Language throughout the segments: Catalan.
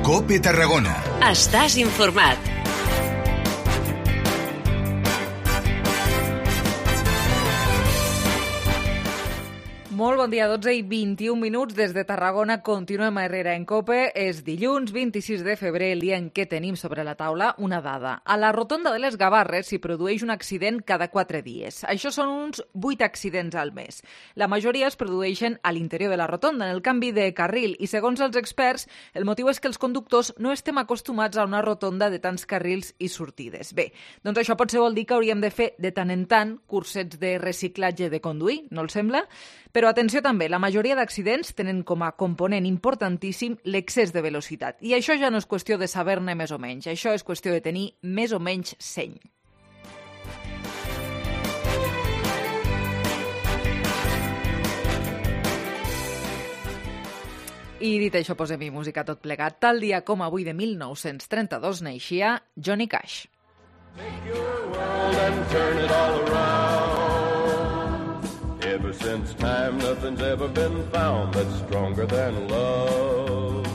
COPE Tarragona. Estàs informat. Molt bon dia, 12 i 21 minuts des de Tarragona. Continuem a Herrera en COPE. És dilluns 26 de febrer, el dia en què tenim sobre la taula una dada. A la rotonda de les Gavarres s'hi produeix un accident cada 4 dies. Això són uns 8 accidents al mes. La majoria es produeixen a l'interior de la rotonda, en el canvi de carril, i segons els experts, el motiu és que els conductors no estem acostumats a una rotonda de tants carrils i sortides. Bé, doncs això potser vol dir que hauríem de fer de tant en tant cursets de reciclatge de conduir, no els sembla? Però atenció també, la majoria d'accidents tenen com a component importantíssim l'excés de velocitat. I això ja no és qüestió de saber-ne més o menys, això és qüestió de tenir més o menys seny. I dit això, posem-hi música tot plegat. Tal dia com avui de 1932 naixia Johnny Cash. Take your world and turn it all around. Ever since time, nothing's ever been found that's stronger than love.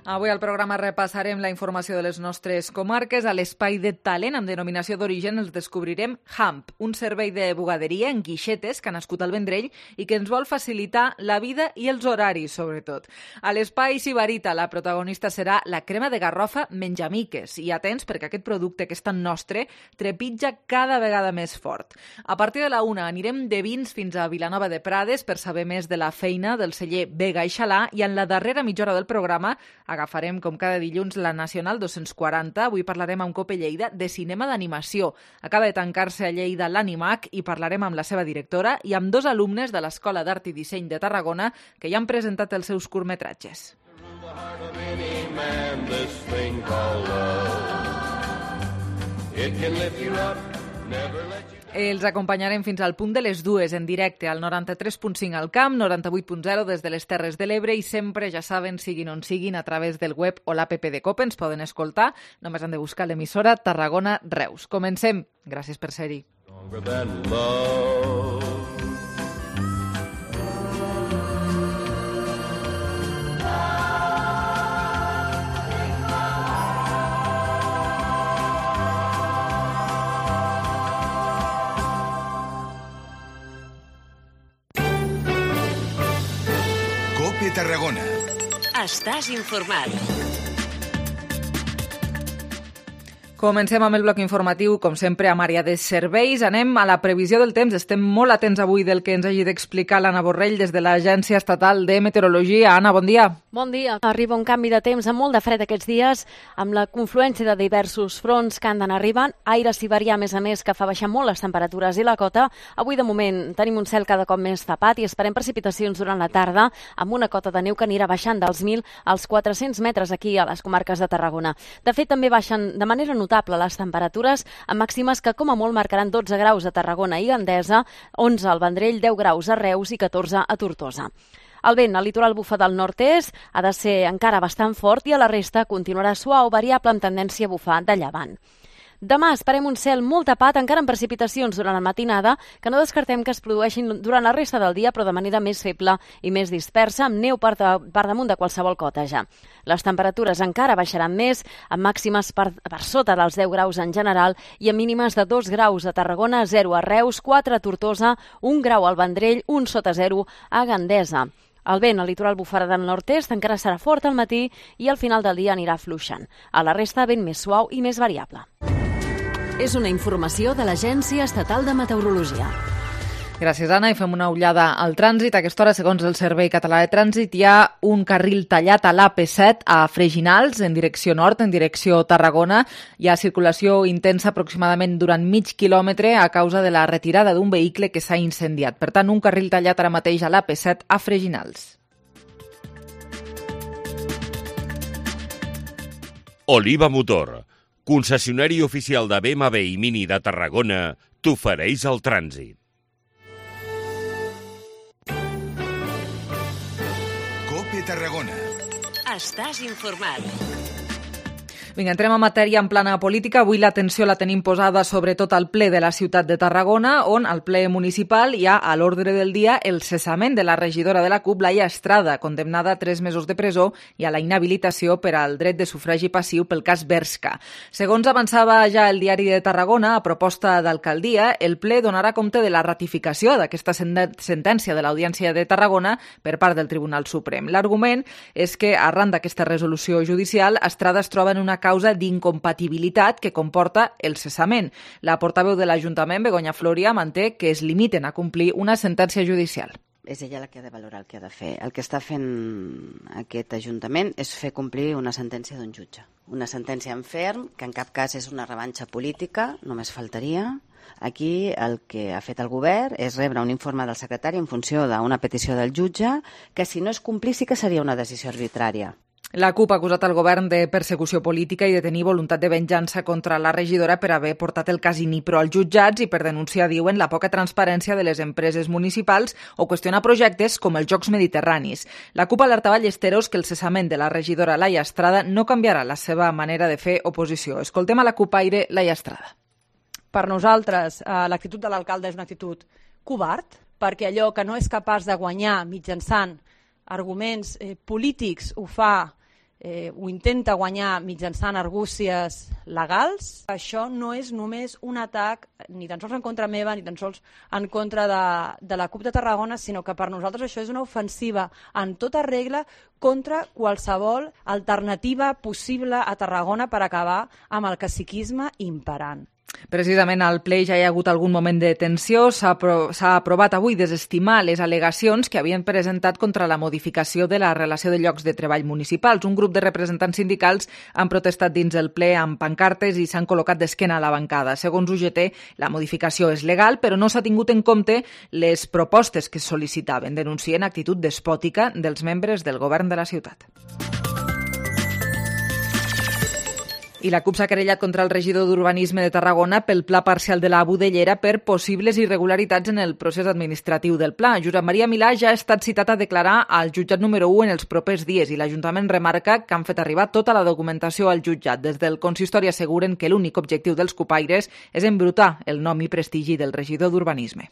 Avui al programa repassarem la informació de les nostres comarques. A l'espai de talent amb denominació d'origen els descobrirem HAMP, un servei de bugaderia en guixetes que ha nascut al Vendrell i que ens vol facilitar la vida i els horaris, sobretot. A l'espai Sibarita la protagonista serà la crema de garrofa Menjamiques. I atents, perquè aquest producte que és tan nostre trepitja cada vegada més fort. A partir de la 1 anirem de vins fins a Vilanova de Prades per saber més de la feina del celler Vega i Xalà, i en la darrera mitja hora del programa agafarem, com cada dilluns, la Nacional 240. Avui parlarem amb COPE Lleida de cinema d'animació. Acaba de tancar-se a Lleida l'Animac i parlarem amb la seva directora i amb 2 alumnes de l'Escola d'Art i Disseny de Tarragona que ja han presentat els seus curtmetratges. Els acompanyarem fins al punt de les 2 en directe al 93.5 al Camp, 98.0 des de les Terres de l'Ebre i sempre, ja saben, siguin on siguin, a través del web o l'app de COPE ens poden escoltar. Només han de buscar l'emissora Tarragona Reus. Comencem. Gràcies per ser-hi. COPE Tarragona. Estàs informat. Comencem amb el bloc informatiu, com sempre, amb àrea de serveis. Anem a la previsió del temps. Estem molt atents avui del que ens hagi d'explicar l'Anna Borrell des de l'Agència Estatal de Meteorologia. Anna, bon dia. Bon dia. Arriba un canvi de temps amb molt de fred aquests dies, amb la confluència de diversos fronts que han d'anar arribant. Aire siberià, a més, que fa baixar molt les temperatures i la cota. Avui, de moment, tenim un cel cada cop més tapat i esperem precipitacions durant la tarda, amb una cota de neu que anirà baixant dels 1.000 als 400 metres aquí a les comarques de Tarragona. De fet, també baixen de manera notable les temperatures, amb màximes que com a molt marcaran 12 graus a Tarragona i Gandesa, 11 al Vendrell, 10 graus a Reus i 14 a Tortosa. El vent al litoral bufa del nord-est, ha de ser encara bastant fort i a la resta continuarà suau, variable amb tendència a bufar de llevant. Demà esperem un cel molt tapat, encara amb precipitacions durant la matinada, que no descartem que es produeixin durant la resta del dia, però de manera més feble i més dispersa, amb neu per damunt de qualsevol cota ja. Les temperatures encara baixaran més, amb màximes per sota dels 10 graus en general i amb mínimes de 2 graus a Tarragona, 0 a Reus, 4 a Tortosa, 1 grau al Vendrell, 1 sota 0 a Gandesa. El vent al litoral bufarà del nord-est encara serà fort al matí i al final del dia anirà fluixant. A la resta, vent més suau i més variable. És una informació de l'Agència Estatal de Meteorologia. Gràcies, Anna. I fem una ullada al trànsit. A aquesta hora, segons el Servei Català de Trànsit, hi ha un carril tallat a l'AP7 a Freginals, en direcció nord, en direcció Tarragona. Hi ha circulació intensa aproximadament durant mig quilòmetre a causa de la retirada d'un vehicle que s'ha incendiat. Per tant, un carril tallat ara mateix a l'AP7 a Freginals. Oliva Motor, concessionari oficial de BMW i Mini de Tarragona, t'ofereix el trànsit. COPE Tarragona. Estàs informat. Vinga, entrem a matèria en plana política. Avui l'atenció la tenim posada sobretot al ple de la ciutat de Tarragona, on al ple municipal hi ha a l'ordre del dia el cessament de la regidora de la CUP, Laia Estrada, condemnada a 3 mesos de presó i a la inhabilitació per al dret de sufragi passiu pel cas Bershka. Segons avançava ja el diari de Tarragona, a proposta d'alcaldia, el ple donarà compte de la ratificació d'aquesta sentència de l'Audiència de Tarragona per part del Tribunal Suprem. L'argument és que, arran d'aquesta resolució judicial, Estrada es troba en una causa d'incompatibilitat que comporta el cessament. La portaveu de l'Ajuntament, Begoña Floria, manté que es limiten a complir una sentència judicial. És ella la que ha de valorar el que ha de fer. El que està fent aquest Ajuntament és fer complir una sentència d'un jutge. Una sentència en ferm, que en cap cas és una revanxa política, només faltaria. Aquí el que ha fet el govern és rebre un informe del secretari en funció d'una petició del jutge, que si no es complís sí que seria una decisió arbitrària. La CUP ha acusat el govern de persecució política i de tenir voluntat de venjança contra la regidora per haver portat el cas Inipro als jutjats i per denunciar, diuen, la poca transparència de les empreses municipals o qüestionar projectes com els Jocs Mediterranis. La CUP alertava a Llesteros que el cessament de la regidora Laia Estrada no canviarà la seva manera de fer oposició. Escoltem a la CUPaire Laia Estrada. Per nosaltres, l'actitud de l'alcalde és una actitud covard, perquè allò que no és capaç de guanyar mitjançant arguments polítics ho intenta guanyar mitjançant argúcies legals. Això no és només un atac ni tan sols en contra meva, ni tan sols en contra de la CUP de Tarragona, sinó que per nosaltres això és una ofensiva en tota regla contra qualsevol alternativa possible a Tarragona per acabar amb el caciquisme imperant. Precisament al ple ja hi ha hagut algun moment de tensió. S'ha aprovat avui desestimar les al·legacions que havien presentat contra la modificació de la relació de llocs de treball municipals. Un grup de representants sindicals han protestat dins el ple amb pancartes i s'han col·locat d'esquena a la bancada. Segons UGT, la modificació és legal, però no s'ha tingut en compte les propostes que sol·licitaven. Denuncien actitud despòtica dels membres del govern de la ciutat. I la CUP s'ha querellat contra el regidor d'Urbanisme de Tarragona pel pla parcial de la Budellera per possibles irregularitats en el procés administratiu del pla. Josep Maria Milà ja ha estat citat a declarar al jutjat número 1 en els propers dies i l'Ajuntament remarca que han fet arribar tota la documentació al jutjat. Des del consistori asseguren que l'únic objectiu dels cupaires és embrutar el nom i prestigi del regidor d'Urbanisme.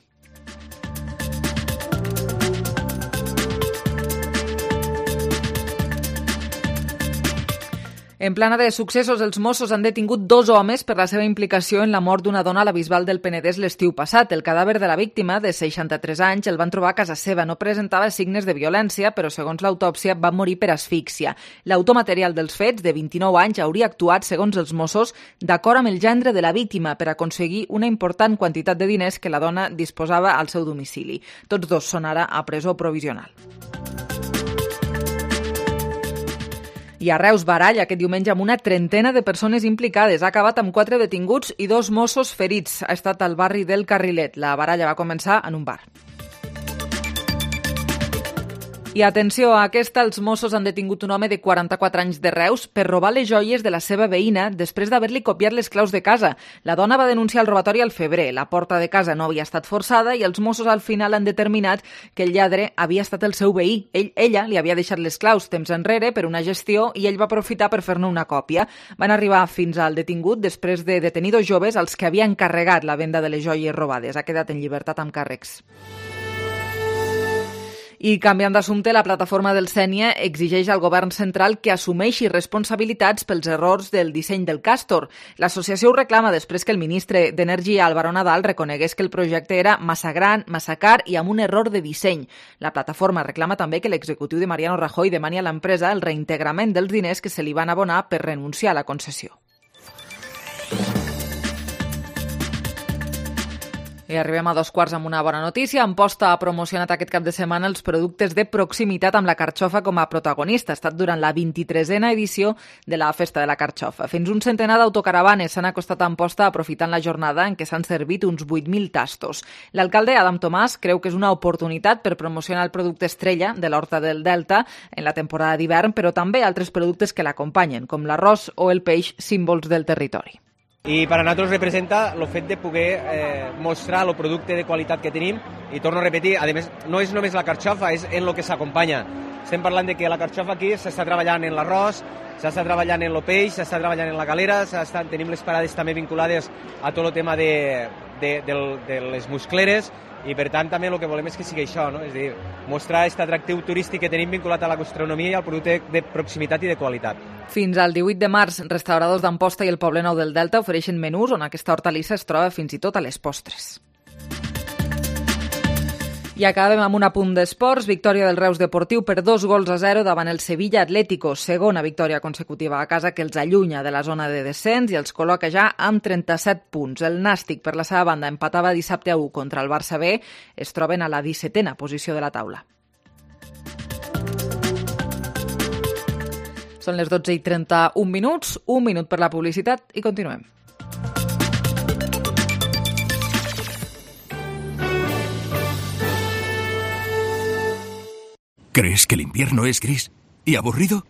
En plana de successos, els Mossos han detingut 2 homes per la seva implicació en la mort d'una dona a la Bisbal del Penedès l'estiu passat. El cadàver de la víctima, de 63 anys, el van trobar a casa seva. No presentava signes de violència, però segons l'autòpsia va morir per asfíxia. L'autor material dels fets, de 29 anys, hauria actuat, segons els Mossos, d'acord amb el gendre de la víctima per aconseguir una important quantitat de diners que la dona disposava al seu domicili. Tots 2 són ara a presó provisional. I a Reus, barall aquest diumenge amb una trentena de persones implicades. Ha acabat amb 4 detinguts i 2 Mossos ferits. Ha estat al barri del Carrilet. La baralla va començar en un bar. I atenció a aquesta, els Mossos han detingut un home de 44 anys de Reus per robar les joies de la seva veïna després d'haver-li copiat les claus de casa. La dona va denunciar el robatori al febrer. La porta de casa no havia estat forçada i els Mossos al final han determinat que el lladre havia estat el seu veí. Ella li havia deixat les claus temps enrere per una gestió i ell va aprofitar per fer-ne una còpia. Van arribar fins al detingut després de detenir 2 joves als que havia encarregat la venda de les joies robades. Ha quedat en llibertat amb càrrecs. I canviant d'assumpte, la plataforma del Sénia exigeix al govern central que assumeixi responsabilitats pels errors del disseny del Càstor. L'associació ho reclama després que el ministre d'Energia, Álvaro Nadal, reconegués que el projecte era massa gran, massa car i amb un error de disseny. La plataforma reclama també que l'executiu de Mariano Rajoy demani a l'empresa el reintegrament dels diners que se li van abonar per renunciar a la concessió. I arribem a 2:15 amb una bona notícia. Amposta ha promocionat aquest cap de setmana els productes de proximitat amb la carxofa com a protagonista. Ha estat durant la 23a edició de la Festa de la Carxofa. Fins un centenar d'autocaravanes s'han acostat a Amposta aprofitant la jornada en què s'han servit uns 8.000 tastos. L'alcalde Adam Tomàs creu que és una oportunitat per promocionar el producte estrella de l'Horta del Delta en la temporada d'hivern, però també altres productes que l'acompanyen, com l'arròs o el peix, símbols del territori. I per a nosaltres representa el fet de poder mostrar el producte de qualitat que tenim i torno a repetir, a més, no és només la carxofa, és en el que s'acompanya. estem parlant de que la carxofa aquí s'està treballant en l'arròs, s'està treballant en el peix, s'està treballant en la galera, tenim les parades també vinculades a tot el tema de les muscleres, i per tant també el que volem és que sigui això, no? És a dir, mostrar aquest atractiu turístic que tenim vinculat a la gastronomia i al producte de proximitat i de qualitat. Fins al 18 de març, restauradors d'Amposta i el Poblenou del Delta ofereixen menús on aquesta hortalissa es troba fins i tot a les postres. I acabem amb un apunt d'esports. Victòria del Reus Deportiu per 2-0 davant el Sevilla Atlético. Segona victòria consecutiva a casa que els allunya de la zona de descens i els col·loca ja amb 37 punts. El Nàstic, per la seva banda, empatava dissabte a 1 contra el Barça B. Es troben a la 17a posició de la taula. Són les 12:31 minuts, un minut per la publicitat i continuem. ¿Crees que el invierno es gris y aburrido?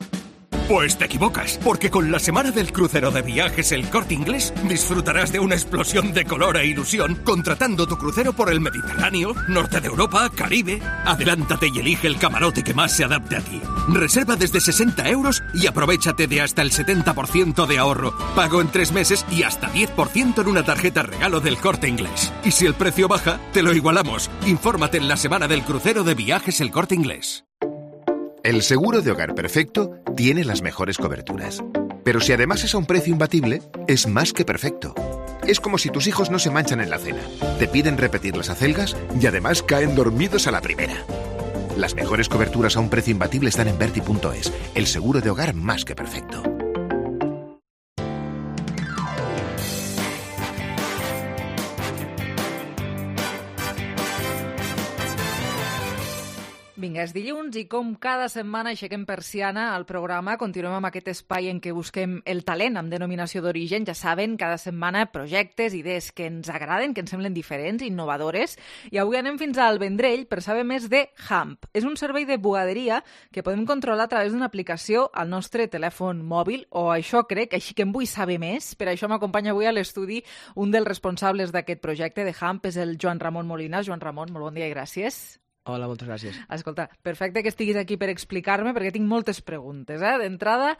Pues te equivocas, porque con la semana del crucero de Viajes El Corte Inglés disfrutarás de una explosión de color e ilusión contratando tu crucero por el Mediterráneo, Norte de Europa, Caribe. Adelántate y elige el camarote que más se adapte a ti. Reserva desde 60 € y aprovechate de hasta el 70% de ahorro. Pago en 3 meses y hasta 10% en una tarjeta regalo del Corte Inglés. Y si el precio baja, te lo igualamos. Infórmate en la semana del crucero de Viajes El Corte Inglés. El seguro de hogar perfecto tiene las mejores coberturas. Pero si además es a un precio imbatible, es más que perfecto. Es como si tus hijos no se manchan en la cena, te piden repetir las acelgas y además caen dormidos a la primera. Las mejores coberturas a un precio imbatible están en Berti.es, el seguro de hogar más que perfecto. Vinga, és dilluns i com cada setmana aixequem persiana al programa, continuem amb aquest espai en què busquem el talent amb denominació d'origen. Ja saben, cada setmana projectes, idees que ens agraden, que ens semblen diferents, innovadores. I avui anem fins al Vendrell per saber més de Hamp. És un servei de bugaderia que podem controlar a través d'una aplicació al nostre telèfon mòbil, o això crec, així que en vull saber més. Per això m'acompanya avui a l'estudi un dels responsables d'aquest projecte de Hamp, és el Joan Ramon Molina. Joan Ramon, molt bon dia i gràcies. Hola, moltes gràcies. Escolta, perfecte que estiguis aquí per explicar-me, perquè tinc moltes preguntes. D'entrada,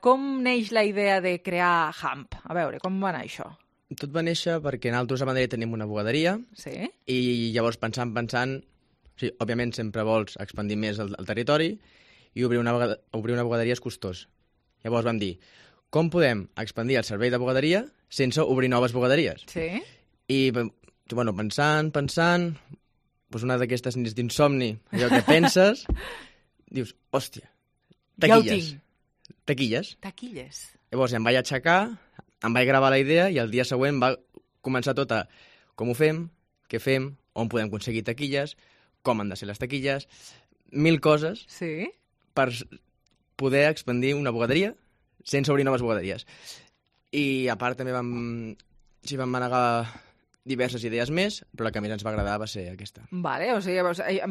com neix la idea de crear Hamp? A veure, com va anar això? Tot va néixer perquè nosaltres a Madrid tenim una bugaderia, sí? I llavors pensant, sí, òbviament sempre vols expandir més el territori i obrir una bugaderia és costós. Llavors vam dir, com podem expandir el servei de bugaderia sense obrir noves bugaderies? Sí. I, bueno, pensant, doncs una d'aquestes nits d'insomni, allò que penses, dius, hòstia, taquilles. Ja ho tinc. Taquilles. Llavors em vaig aixecar, em vaig gravar la idea i el dia següent va començar tot a com ho fem, què fem, on podem aconseguir taquilles, com han de ser les taquilles, 1000 coses per poder expandir una bugaderia sense obrir noves bugaderies. I a part també vam manegar diverses idees més, però la que més ens va agradar va ser aquesta. Vale, o sigui,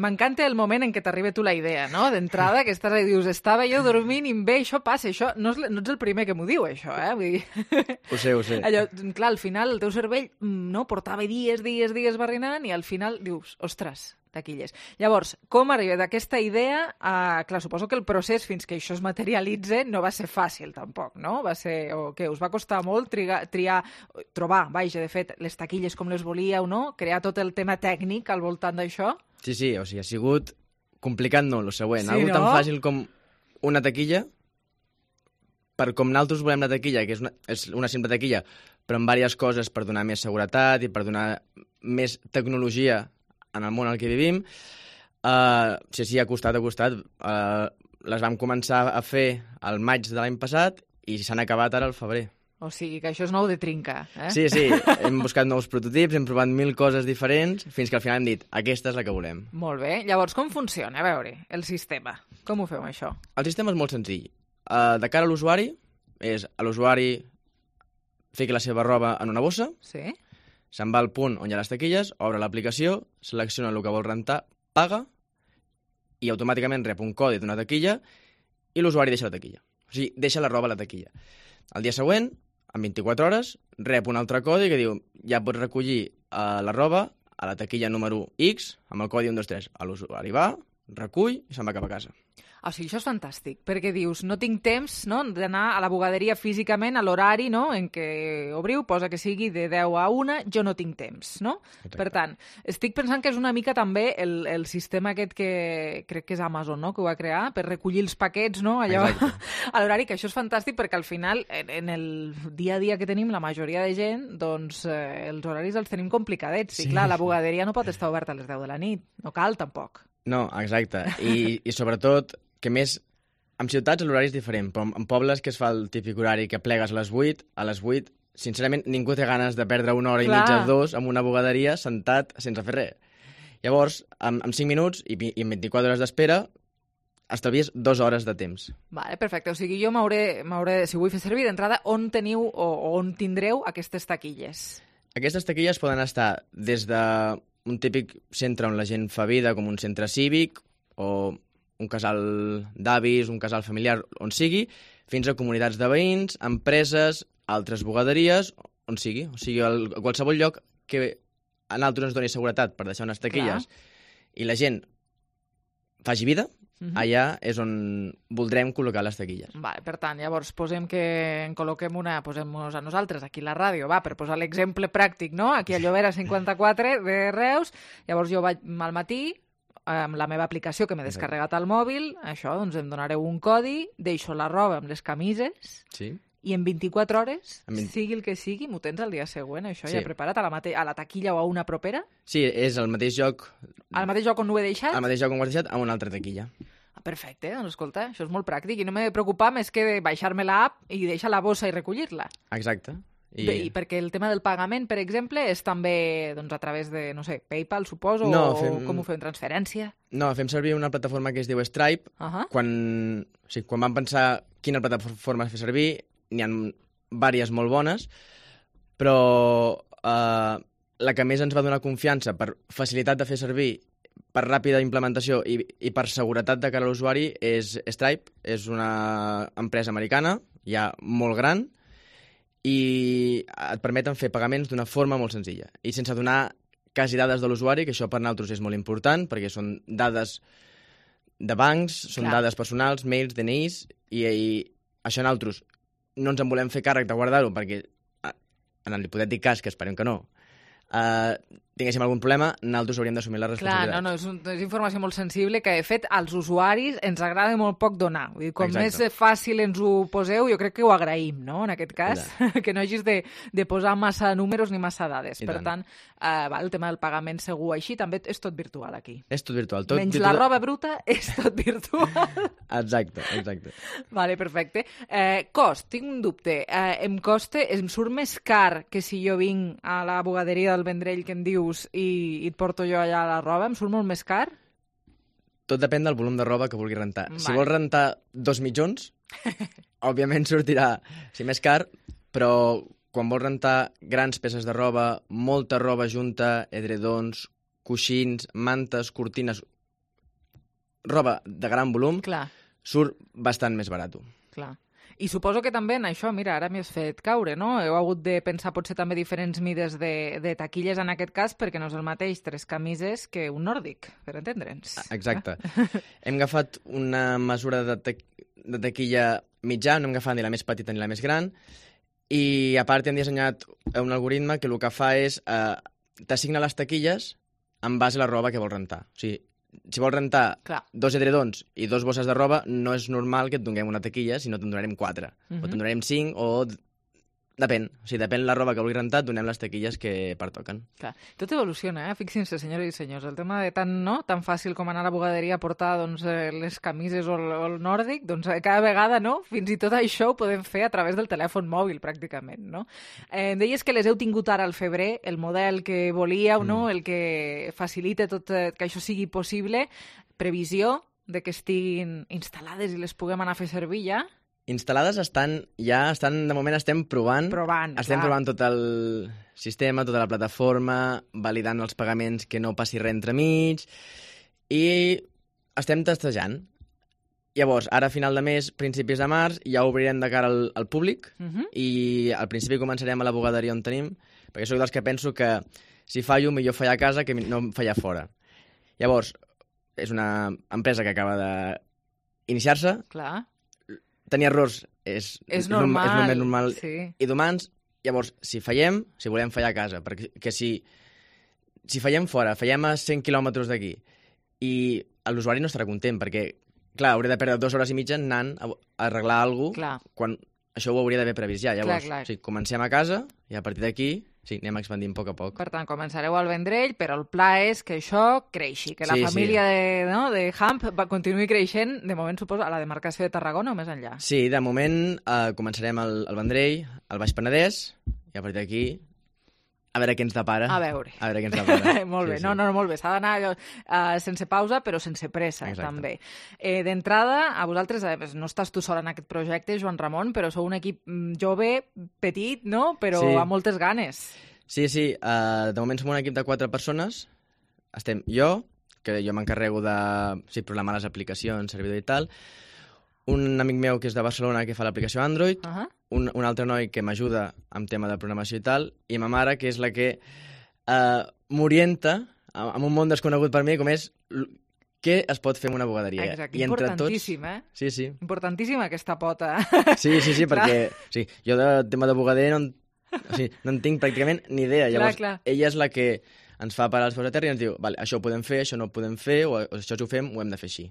m'encanta el moment en què t'arriba tu la idea, no? D'entrada, que estàs i dius, estava jo dormint i bé, això passa, això no ets el primer que m'ho diu, això, Vull dir... Ho sé. Allò, clar, al final el teu cervell portava dies barrinant i al final dius, ostres, taquilles. Llavors, com arriba d'aquesta idea? Clar, suposo que el procés fins que això es materialitza no va ser fàcil tampoc, no? Va ser, o què, us va costar molt trobar, de fet, les taquilles com les volíeu, no? Crear tot el tema tècnic al voltant d'això? Sí, o sigui, ha sigut complicat, no, lo següent. Sí, algo no? tan fàcil com una taquilla, per com nosaltres volem la taquilla, que és una simple taquilla, però amb diverses coses per donar més seguretat i per donar més tecnologia en el món en què vivim. Sí, ha costat. Les vam començar a fer al maig de l'any passat i s'han acabat ara al febrer. O sigui, que això és nou de trinca, Sí, hem buscat nous prototips, hem provat 1000 coses diferents, fins que al final hem dit, aquesta és la que volem. Molt bé. Llavors, com funciona? A veure, el sistema. Com ho fem, això? El sistema és molt senzill. De cara a l'usuari, és a l'usuari fiqui la seva roba en una bossa, se'n va al punt on hi ha les taquilles, obre l'aplicació, selecciona el que vol rentar, paga, i automàticament rep un codi d'una taquilla i l'usuari deixa la taquilla. O sigui, deixa la roba a la taquilla. El dia següent, en 24 hores, rep un altre codi que diu ja pots recollir la roba a la taquilla número X amb el codi 123. L'usuari va, recull i se'n va cap a casa. O sigui, això és fantàstic, perquè dius, no tinc temps, no?, d'anar a la bugaderia físicament a l'horari, no?, en què obriu, posa que sigui de 10 a 1, jo no tinc temps, no? Exacte. Per tant, estic pensant que és una mica també el sistema aquest que crec que és Amazon, no?, que ho va crear per recollir els paquets, no?, allò a l'horari, que això és fantàstic perquè al final, en el dia a dia que tenim, la majoria de gent, doncs els horaris els tenim complicadets. I clar, la bugaderia no pot estar oberta a les 10 de la nit, no cal tampoc. No, exacte. I sobretot, que més, en ciutats l'horari és diferent, però en pobles que es fa el típic horari que plegues a les 8, sincerament ningú té ganes de perdre una hora i mitja, 2, en una bugaderia sentat sense fer res. Llavors, en 5 minuts i en 24 hores d'espera, estalvies 2 hores de temps. Vale, perfecte. O sigui, jo m'hauré, si vull fer servir d'entrada, on teniu o on tindreu aquestes taquilles? Aquestes taquilles poden estar des d'un típic centre on la gent fa vida, com un centre cívic, o un casal d'avis, un casal familiar, on sigui, fins a comunitats de veïns, empreses, altres bugaderies, on sigui. O sigui, a qualsevol lloc que a nosaltres ens doni seguretat per deixar unes taquilles i la gent faci vida, allà és on voldrem col·locar les taquilles. Vale, per tant, llavors posem que en col·loquem posem-nos a nosaltres, aquí a la ràdio, per posar l'exemple pràctic, no? Aquí a Llobera 54 de Reus, llavors jo vaig al matí, amb la meva aplicació que m'he descarregat al mòbil, això, doncs em donareu un codi, deixo la roba amb les camises, i en 24 hores, sigui el que sigui, m'ho tens el dia següent, això ja preparat a la taquilla o a una propera? Sí, és al mateix lloc... Al mateix lloc on ho he deixat? Al mateix lloc on ho he deixat, a una altra taquilla. Perfecte, doncs escolta, això és molt pràctic i no m'he de preocupar més que de baixar-me l'app i deixar la bossa i recollir-la. Exacte. I perquè el tema del pagament, per exemple, és també doncs, a través de, no sé, PayPal, suposo, o com ho fem, transferència? No, fem servir una plataforma que es diu Stripe. Quan vam pensar quina plataforma fer servir, n'hi ha diverses molt bones, però la que més ens va donar confiança per facilitat de fer servir, per ràpida implementació i per seguretat de cara a l'usuari és Stripe. És una empresa americana, ja molt gran, i et permeten fer pagaments d'una forma molt senzilla i sense donar quasi dades de l'usuari, que això per nosaltres és molt important perquè són dades de bancs, són dades personals, mails, DNIs, i això nosaltres no ens en volem fer càrrec de guardar-ho perquè en l'hipotètic cas, que esperem que no, tinguéssim algun problema, nosaltres hauríem d'assumir la responsabilitat. Clar, és informació molt sensible que, de fet, als usuaris ens agrada molt poc donar. Vull dir, com més fàcil ens ho poseu, jo crec que ho agraïm, no?, en aquest cas, que no hagis de posar massa números ni massa dades. Per tant, el tema del pagament segur així, també és tot virtual aquí. És tot virtual. Menys la roba bruta, és tot virtual. Exacte. Vale, perfecte. Cost, tinc un dubte. Em surt més car que si jo vinc a la bugaderia del Vendrell que em dius i et porto jo allà la roba, em surt molt més car? Tot depèn del volum de roba que vulguis rentar. Si vols rentar 2 mitjons, òbviament sortirà més car, però quan vols rentar grans peces de roba, molta roba junta, edredons, coixins, mantes, cortines, roba de gran volum, surt bastant més barat. Clar. I suposo que també en això, mira, ara m'hi has fet caure, no? Heu hagut de pensar potser també diferents mides de taquilles en aquest cas, perquè no és el mateix 3 camises que un nòrdic, per entendre'ns. Exacte. Hem agafat una mesura de taquilla mitjà, no hem agafat ni la més petita ni la més gran, i a part hem dissenyat un algoritme que el que fa és t'assigna les taquilles en base a la roba que vols rentar. O sigui, si vols rentar 2 edredons i 2 bosses de roba, no és normal que et donem una taquilla, sinó te'n donarem 4. O te'n donarem 5, o... Depèn. O sigui, depèn la roba que vulguis rentar, donem les taquilles que pertoquen. Clar. Tot evoluciona, Fixin-se, senyores i senyors. El tema de tan fàcil com anar a la bugaderia a portar les camises o el nòrdic, doncs cada vegada, no? Fins i tot això ho podem fer a través del telèfon mòbil, pràcticament, no? Em deies que les heu tingut ara al febrer, el model que volíeu, no? El que facilita tot que això sigui possible. Previsió de que estiguin instal·lades i les puguem anar a fer servir ja? Instal·lades de moment estem provant. Estem provant tot el sistema, tota la plataforma, validant els pagaments que no passi res entremig, i estem testejant. Llavors, ara a final de mes, principis de març, ja obrirem de cara al públic, i al principi començarem a la bugaderia on tenim, perquè soc dels que penso que si fallo, millor fallar a casa que no fallar fora. Llavors, és una empresa que acaba iniciar-se, tenir errors és normal, el més normal sí. I d'humans. Llavors, si fallem, si volem fallar a casa, perquè si fallem fora, fallem a 100 quilòmetres d'aquí, i l'usuari no estarà content, perquè, clar, hauria de perdre 2 hores i mitja anant a arreglar alguna cosa, quan això ho hauria d'haver previst ja. Llavors, clar. Sí, comencem a casa i a partir d'aquí anem expandint a poc a poc. Per tant, començareu al Vendrell, però el pla és que això creixi, que la família de Hamp continuï creixent, de moment suposo, a la demarcació de Tarragona o més enllà. Sí, de moment començarem al Vendrell, al Baix Penedès, i a partir d'aquí a veure què ens depara. A veure què ens depara. Molt bé, sí. No, molt bé. S'ha d'anar sense pausa, però sense pressa, també. D'entrada, a vosaltres, no estàs tu sol en aquest projecte, Joan Ramon, però sou un equip jove, petit, no? Però amb moltes ganes. Sí. De moment som un equip de 4 persones. Estem jo, que jo m'encarrego de programar les aplicacions, servidor i tal, un amic meu que és de Barcelona que fa l'aplicació Android, un altre noi que m'ajuda amb tema de programació i tal, i ma mare, que és la que m'orienta en un món desconegut per mi, com és què es pot fer en una bugaderia. Exacte, importantíssim, Sí. Importantíssima aquesta pota. Sí, perquè jo de tema de bugader no en tinc pràcticament ni idea. Llavors, ella és la que ens fa parar els peus a terra i ens diu, vale, això ho podem fer, això no ho podem fer, o això si ho fem, ho hem de fer així.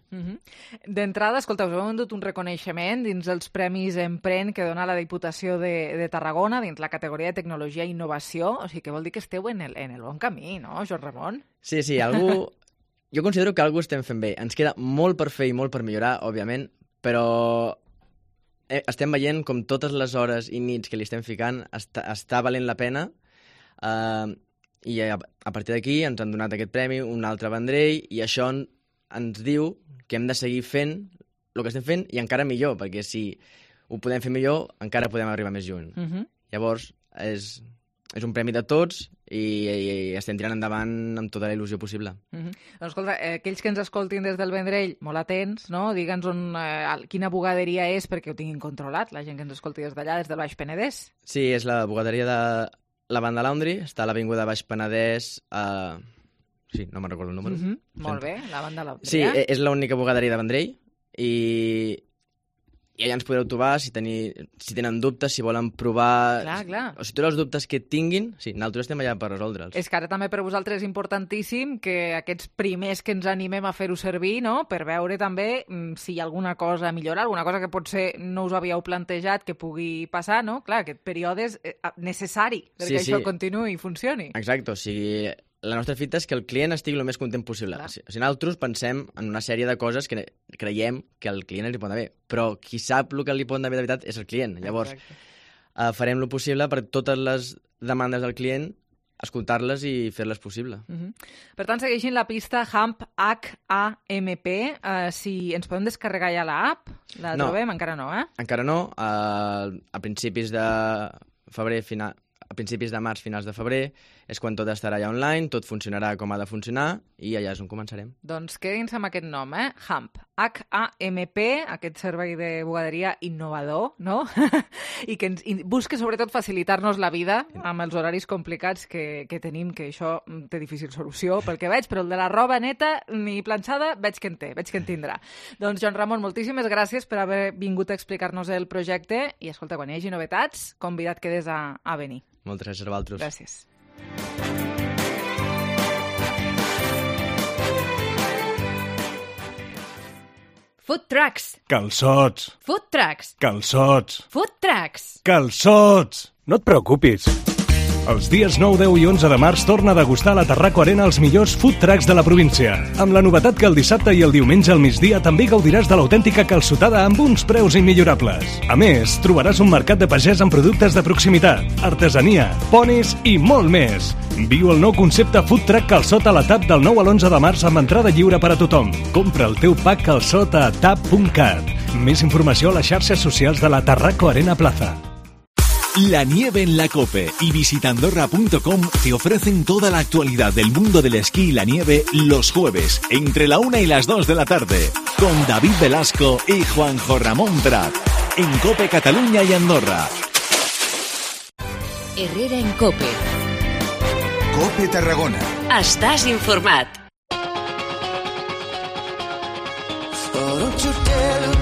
D'entrada, escolta, us heu endut un reconeixement dins els Premis Empren que dona la Diputació de Tarragona dins la categoria de Tecnologia i Innovació, o sigui que vol dir que esteu en el bon camí, no, Joan Ramon? Sí, jo considero que algú estem fent bé. Ens queda molt per fer i molt per millorar, òbviament, però estem veient com totes les hores i nits que li estem ficant està valent la pena, i a partir d'aquí ens han donat aquest premi, un altre Vendrell, i això ens diu que hem de seguir fent el que estem fent i encara millor, perquè si ho podem fer millor, encara podem arribar més lluny. Llavors, és un premi de tots i estem tirant endavant amb tota la il·lusió possible. Doncs escolta, aquells que ens escoltin des del Vendrell, molt atents, no? Digue'ns quina bugaderia és perquè ho tinguin controlat, la gent que ens escolti des d'allà, des del Baix Penedès. Sí, és la bugaderia de la Banda Laundry, està a l'avinguda Baix Penedès, sí, no me'n recordo el número. Molt bé, la Banda Laundry. Sí, és l'única bugaderia de Vendrell i allà ens podreu trobar si tenen dubtes, si volen provar... Clar. O si tots els dubtes que tinguin, sí, nosaltres estem allà per resoldre'ls. És que ara també per vosaltres és importantíssim que aquests primers que ens animem a fer-ho servir, no?, per veure també si hi ha alguna cosa a millorar, alguna cosa que potser no us havíeu plantejat que pugui passar, no? Clar, aquest període és necessari perquè això continuï i funcioni. Exacte, o sigui... La nostra fita és que el client estigui el més content possible. O sigui, nosaltres pensem en una sèrie de coses que creiem que al client li pot anar bé, però qui sap el que li pot anar bé de veritat és el client. Llavors, farem el possible per totes les demandes del client, escoltar-les i fer-les possible. Per tant, segueixin la pista Hamp, H-A-M-P. Si ens podem descarregar ja l'app, la trobem? Encara no, Encara no. A principis de febrer, a principis de març, finals de febrer, és quan tot estarà ja online, tot funcionarà com ha de funcionar i allà és on començarem. Doncs quedin-se amb aquest nom, Hamp, H-A-M-P, aquest servei de bugaderia innovador, no? I que busca sobretot facilitar-nos la vida amb els horaris complicats que tenim, que això té difícil solució pel que veig, però el de la roba neta ni planxada veig que en tindrà. Doncs, Joan Ramon, moltíssimes gràcies per haver vingut a explicar-nos el projecte i, escolta, quan hi hagi novetats, convidat quedes a venir. Moltes gràcies a vosaltres. Gràcies. Food trucks. Calçots. Food trucks. Calçots. Food trucks. Calçots. No et preocupis. Els dies 9, 10 i 11 de març torna a degustar a la Tarraco Arena els millors food trucks de la província. Amb la novetat que el dissabte i el diumenge al migdia també gaudiràs de l'autèntica calçotada amb uns preus immillorables. A més, trobaràs un mercat de pagès amb productes de proximitat, artesania, ponis i molt més. Viu el nou concepte Food Truck Calçot a la TAP del 9 a l'11 de març amb entrada lliure per a tothom. Compra el teu pack calçot a tap.cat. Més informació a les xarxes socials de la Tarraco Arena Plaza. La nieve en la COPE y visitandorra.com te ofrecen toda la actualidad del mundo del esquí y la nieve los jueves, entre la 1 y las 2 de la tarde, con David Velasco y Juanjo Ramón Prat, en COPE Cataluña y Andorra. Herrera en COPE. COPE Tarragona. Estàs informat. Oh, don't you dare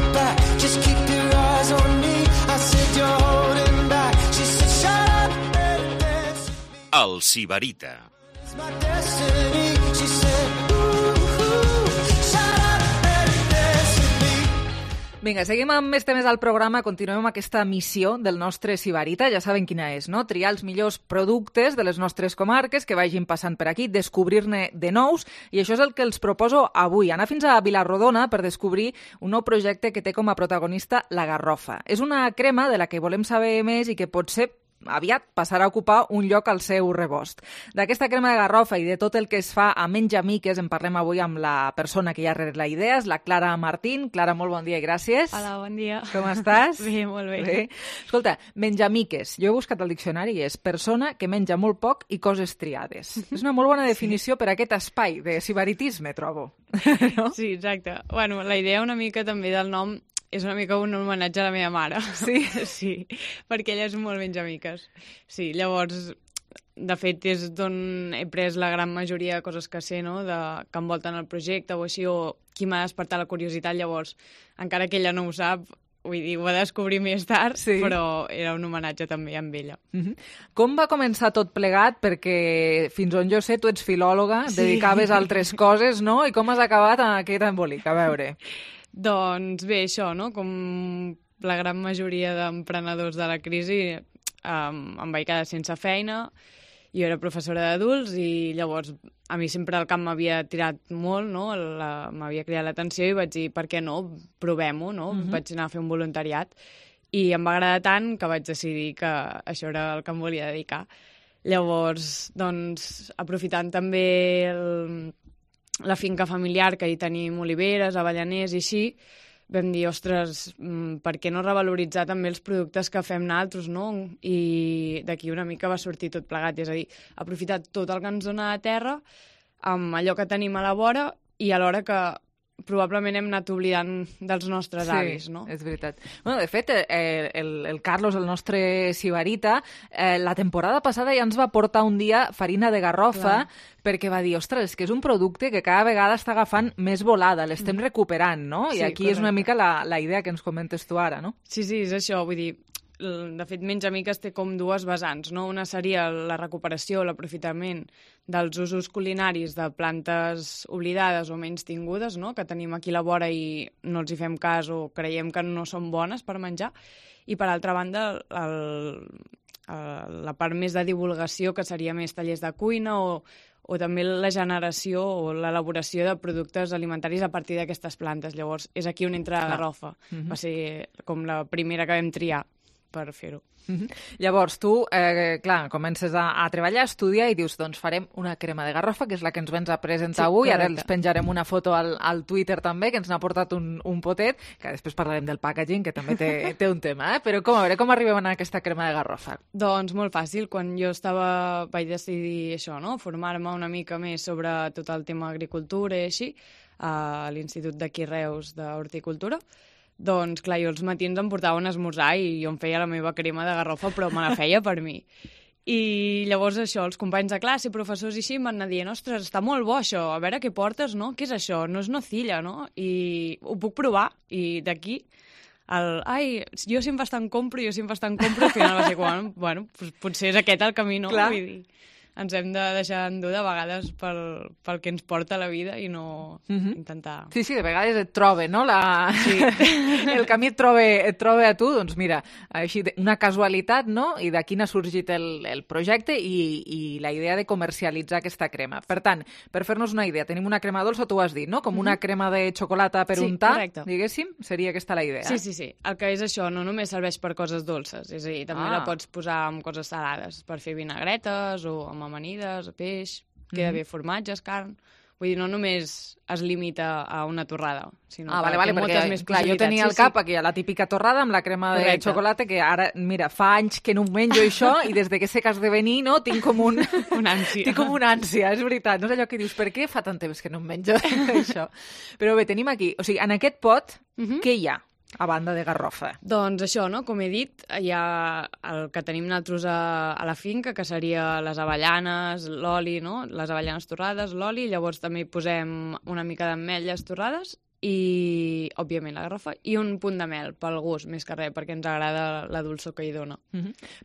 just keep your eyes on me. I said you're holding back. She said shut up and dance. El Sibarita. It's my destiny. She said shut up and dance with me. Vinga, seguim amb més temes al programa, continuem amb aquesta missió del nostre Sibarita, ja saben quina és, no? Triar els millors productes de les nostres comarques que vagin passant per aquí, descobrir-ne de nous, i això és el que els proposo avui, anar fins a Vilarrodona per descobrir un nou projecte que té com a protagonista la garrofa. És una crema de la que volem saber més i que potser aviat passarà a ocupar un lloc al seu rebost. D'aquesta crema de garrofa i de tot el que es fa a Menjamiques en parlem avui amb la persona que hi ha darrere la idea, és la Clara Martín. Clara, molt bon dia i gràcies. Hola, bon dia. Com estàs? Bé, molt bé. Bé. Escolta, Menjamiques, jo he buscat al diccionari i és persona que menja molt poc i coses triades. És una molt bona definició per a aquest espai de sibaritisme, trobo. No? Sí, exacte. Bueno, la idea una mica també del nom és una mica un homenatge a la meva mare. Sí? Sí, perquè ella és molt menjamiques. Sí, llavors, de fet, és d'on he pres la gran majoria de coses que sé, no?, que envolten el projecte o així, o qui m'ha despertat la curiositat. Llavors, encara que ella no ho sap, vull dir, ho va descobrir més tard, sí, però era un homenatge també amb ella. Com va començar tot plegat? Perquè, fins on jo sé, tu ets filòloga, dedicaves a altres coses, no? I com has acabat en aquest embolic? A veure... Doncs bé, això, no? Com la gran majoria d'emprenedors de la crisi, em vaig quedar sense feina. Jo era professora d'adults i llavors a mi sempre el camp m'havia tirat molt, no? M'havia cridat l'atenció i vaig dir, per què no? Provem-ho, no? Vaig anar a fer un voluntariat i em va agradar tant que vaig decidir que això era el que em volia dedicar. Llavors, doncs, aprofitant també la finca familiar, que hi tenim oliveres, avellaners i així, vam dir, ostres, per què no revaloritzar també els productes que fem nosaltres, no? I d'aquí una mica va sortir tot plegat, és a dir, aprofitar tot el que ens dona a terra amb allò que tenim a la vora i alhora que probablement hem anat oblidant dels nostres avis, no? Sí, és veritat. Bueno, de fet, el Carlos, el nostre sibarita, la temporada passada ja ens va portar un dia farina de garrofa, perquè va dir, ostres, és que és un producte que cada vegada està agafant més volada, l'estem recuperant, no? I aquí és una mica la idea que ens comentes tu ara, no? Sí, és això, vull dir, de fet, Menjamiques té com dues vessants, no? Una seria la recuperació, l'aprofitament dels usos culinaris de plantes oblidades o menys tingudes, no?, que tenim aquí a la vora i no els hi fem cas o creiem que no són bones per menjar. I, per altra banda, la part més de divulgació, que seria més tallers de cuina o també la generació o l'elaboració de productes alimentaris a partir d'aquestes plantes. Llavors, és aquí on entra la garrofa. Va ser com la primera que vam triar per fer-ho. Llavors, tu, clar, comences a treballar, a estudiar i dius, doncs farem una crema de garrofa, que és la que ens vens a presentar avui. Ara els penjarem una foto al Twitter també, que ens n'ha portat un potet, que després parlarem del packaging, que també té un tema, però a veure, com arribem a aquesta crema de garrofa? Doncs molt fàcil. Quan jo vaig decidir això, no?, formar-me una mica més sobre tot el tema agricultura i així, a l'Institut d'aquí Reus d'Horticultura. Doncs, clar, jo els matins em portava un esmorzar i jo em feia la meva crema de garrofa, però me la feia per mi. I llavors això, els companys de classe, professors i així, m'han anat dient, ostres, està molt bo això, a veure què portes, no? Què és això? No és nocilla, no? I ho puc provar. I d'aquí, jo sempre estan compro, al final va ser quan, bueno, potser és aquest el camí, no? Clar. Vull dir, ens hem de deixar endur de vegades pel que ens porta la vida i no intentar... Sí, de vegades et trobe, no? El camí et troba a tu, doncs mira, així una casualitat, no? I d'aquí n'ha sorgit el projecte i la idea de comercialitzar aquesta crema. Per tant, per fer-nos una idea, tenim una crema dolça, tu has dit, no? Com una crema de xocolata per untar, diguéssim, seria aquesta la idea. Sí. El que és això, no només serveix per coses dolces, és a dir, també la pots posar amb coses salades, per fer vinagretes o amb amanides, peix, queda bé formatges, carn... Vull dir, no només es limita a una torrada, sinó que té moltes més possibilitats. Jo tenia al cap aquí la típica torrada amb la crema de xocolata, que ara, mira, fa anys que no ho menjo això, i des de que sé que has de venir, no, tinc com una ànsia. Tinc com una ànsia, és veritat. No és allò que dius, per què fa tant temps que no em menjo això? Però bé, tenim aquí, o sigui, en aquest pot, què hi ha? A banda de garrofa. Doncs això, no? Com he dit, hi ha el que tenim nosaltres a la finca, que seria les avellanes, l'oli, no? Les avellanes torrades, l'oli, llavors també hi posem una mica d'ametlles torrades i, òbviament, la garrofa, i un punt de mel, pel gust, més que res, perquè ens agrada la dolçor que hi dona.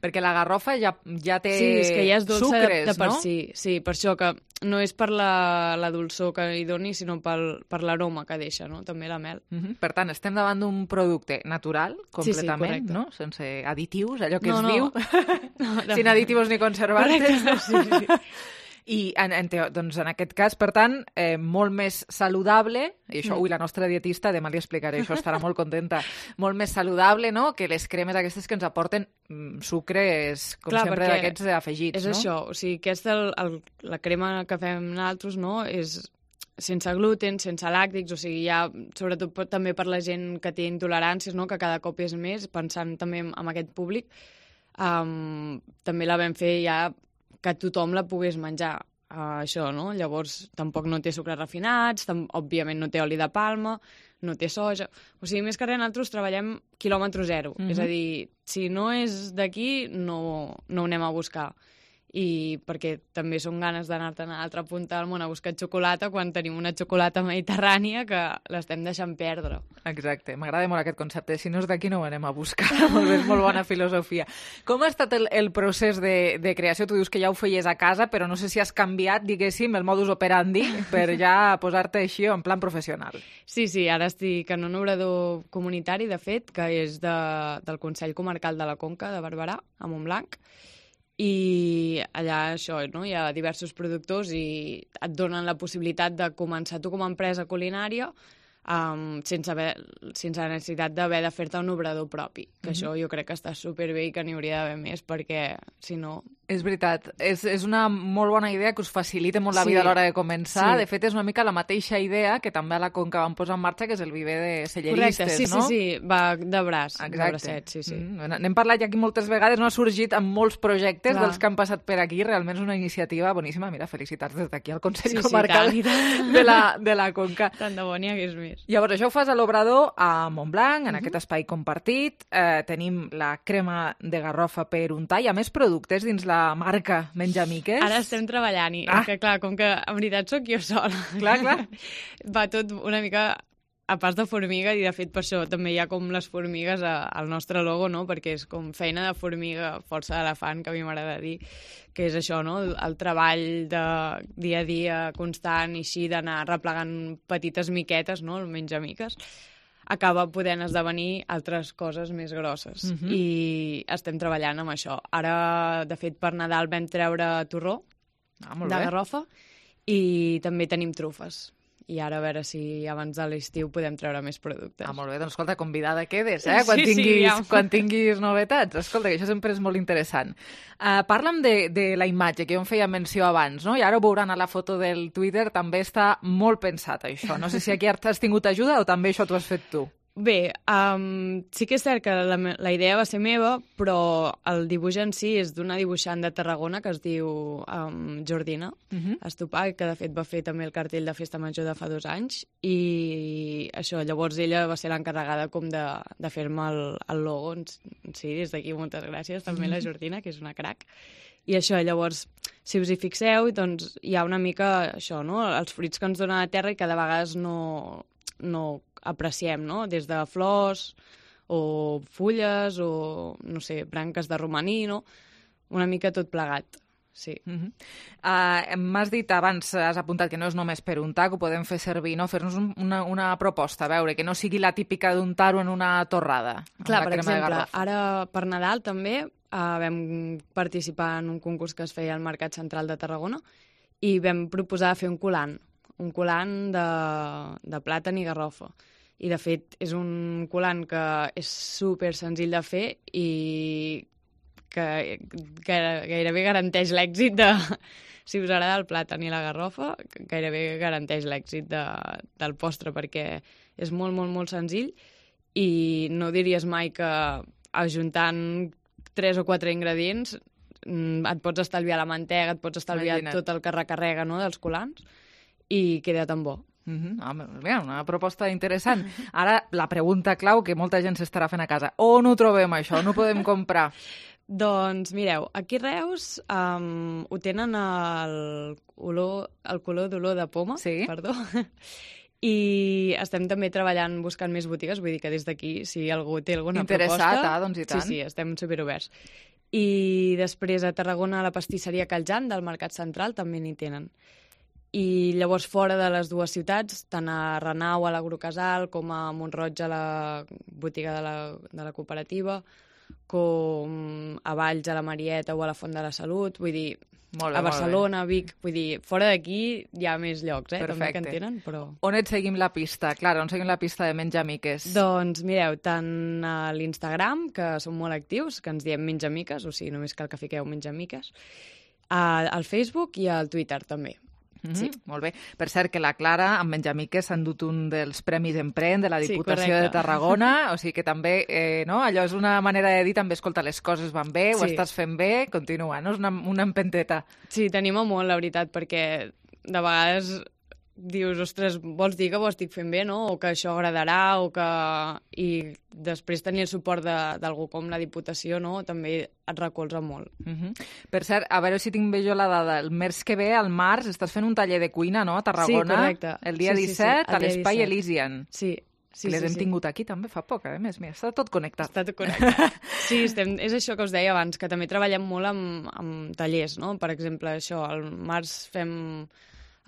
Perquè la garrofa ja té sí, és que ja és dolça sucres, de per no? Sí, per això que no és per la dolçor que hi doni, sinó per l'aroma que deixa, no? També la mel. Per tant, estem davant d'un producte natural, completament, correcte. no? Sense additius, allò que No, es no. diu, sin aditivos ni conservantes. Correcte, sí. I doncs en aquest cas, per tant, molt més saludable, i això, la nostra dietista, demà li explicaré, això estarà molt contenta, molt més saludable, no?, que les cremes aquestes que ens aporten sucres, com sempre, d'aquests afegits, és no? això, o sigui, aquesta, la crema que fem nosaltres, no?, és sense gluten, sense làctics, o sigui, ja, sobretot també per la gent que té intoleràncies, no?, que cada cop és més, pensant també en aquest públic, també la vam fer ja que tothom la pogués menjar, això, no? Llavors, tampoc no té sucres refinats, òbviament no té oli de palma, no té soja... O sigui, més que res, nosaltres treballem quilòmetre zero. És a dir, si no és d'aquí, no ho anem a buscar. I perquè també són ganes d'anar-te'n a l'altra punta del món a buscar xocolata quan tenim una xocolata mediterrània que l'estem deixant perdre. Exacte, m'agrada molt aquest concepte. Si no és d'aquí no ho anem a buscar. Molt bé, molt bona filosofia. Com ha estat el procés de creació? Tu dius que ja ho feies a casa, però no sé si has canviat, diguéssim, el modus operandi per ja posar-te així en plan professional. Sí, ara estic en un obrador comunitari, de fet, que és del Consell Comarcal de la Conca de Barberà, a Montblanc, i allà això, no? Hi ha diversos productors i et donen la possibilitat de començar tu com a empresa culinària sense la necessitat d'haver de fer-te un obrador propi, que això jo crec que està superbé i que n'hi hauria d'haver més, perquè si no... És veritat, és una molt bona idea que us facilita molt la vida a l'hora de començar. De fet, és una mica la mateixa idea que també a la Conca vam posar en marxa, que és el viver de selleristes, no? Sí, va de braç, de bracet, sí. N'hem parlat ja aquí moltes vegades, no ha sorgit amb molts projectes dels que han passat per aquí, realment és una iniciativa boníssima. Mira, felicitats des d'aquí al Consell Comarcal de la Conca. Tant de bo n'hi hagués més. Llavors, això ho fas a l'Obrador, a Montblanc, en aquest espai compartit. Tenim la crema de garrofa per untar. Hi ha més productes dins la marca Menjamiques? Ara estem treballant i que, clar, com que en veritat sóc jo sola. Clar. Va tot una mica a pas de formiga i, de fet, per això també hi ha com les formigues al nostre logo, no? Perquè és com feina de formiga, força d'elefant, que a mi m'agrada dir, que és això, no? El treball de dia a dia constant i així d'anar replegant petites miquetes, no? El Menjamiques, acaba podent esdevenir altres coses més grosses. I estem treballant amb això. Ara, de fet, per Nadal vam treure torró de garrofa i també tenim trufes. I ara a veure si abans de l'estiu podem treure més productes. Molt bé, doncs escolta, convidada quedes, quan tinguis novetats. Escolta, que això sempre és molt interessant. Parla'm de la imatge, que jo em feia menció abans, no? I ara ho veuran a la foto del Twitter, també està molt pensat això. No sé si aquí has tingut ajuda o també això t'ho has fet tu. Bé, sí que és cert que la idea va ser meva, però el dibuix en si és d'una dibuixant de Tarragona que es diu Jordina Estopà, que de fet va fer també el cartell de Festa Major de fa 2 anys, i això, llavors ella va ser l'encarregada com de fer-me el logo. Sí, des d'aquí moltes gràcies també a la Jordina, que és una crac. I això, llavors, si us hi fixeu, doncs hi ha una mica això, no? Els fruits que ens dona la terra i que de vegades no apreciem, no? Des de flors o fulles o, no sé, branques de romaní, no? Una mica tot plegat, sí. M'has dit abans, has apuntat que no és només per untar, que ho podem fer servir, no? Fer-nos una proposta, a veure, que no sigui la típica d'untar-ho en una torrada. Clar, per exemple, ara per Nadal també vam participar en un concurs que es feia al Mercat Central de Tarragona i vam proposar fer un colant de plàtan i garrofa. I, de fet, és un colant que és super senzill de fer i que gairebé garanteix l'èxit de... Si us agrada el plàtan i la garrofa, gairebé garanteix l'èxit del postre, perquè és molt, molt, molt senzill i no diries mai que ajuntant 3 o 4 ingredients et pots estalviar la mantega, et pots estalviar tot el que recarrega, no?, dels colants, i queda tan bo. Una proposta interessant. Ara, la pregunta clau que molta gent s'estarà fent a casa. On ho trobem, això? On ho podem comprar? Doncs mireu, aquí a Reus ho tenen el color d'olor de poma, perdó, I estem també treballant buscant més botigues, vull dir que des d'aquí, si algú té alguna proposta... Doncs i tant. Sí, estem superoberts. I després a Tarragona, a la pastisseria Caljan del Mercat Central també n'hi tenen. I llavors fora de les dues ciutats, tant a Renau, a l'Agrocasal, com a Mont-roig, a la botiga de la cooperativa, com a Valls, a la Marieta o a la Font de la Salut, vull dir... Molt bé, a Barcelona, a Vic, vull dir, fora d'aquí hi ha més llocs, també que en tenen, però... On et seguim la pista? Clara, on seguim la pista de Menjamiques? Doncs mireu, tant a l'Instagram, que som molt actius, que ens diem Menjamiques, o sigui, només cal que fiqueu Menjamiques, al Facebook i al Twitter també. Sí. Molt bé. Per cert, que la Clara, amb Menjamiques, s'ha endut un dels Premis Emprèn de la Diputació de Tarragona, o sigui que també, no? Allò és una manera de dir també, escolta, les coses van bé, ho estàs fent bé, continua, no? És una empenteta. Sí, t'anima molt, la veritat, perquè de vegades dius, ostres, vols dir que ho estic fent bé, no? O que això agradarà, o que... I després tenir el suport d'algú com la Diputació, no? També et recolza molt. Per cert, a veure si tinc bé jo la dada. El mes que ve, al març, estàs fent un taller de cuina, no?, a Tarragona. Sí, correcte. El dia 17, a l'Espai Elysian. Sí. Les hem tingut aquí també fa poc, a més. Mira, està tot connectat. Està tot connectat. Sí, és això que us deia abans, que també treballem molt amb tallers, no? Per exemple, això, al març fem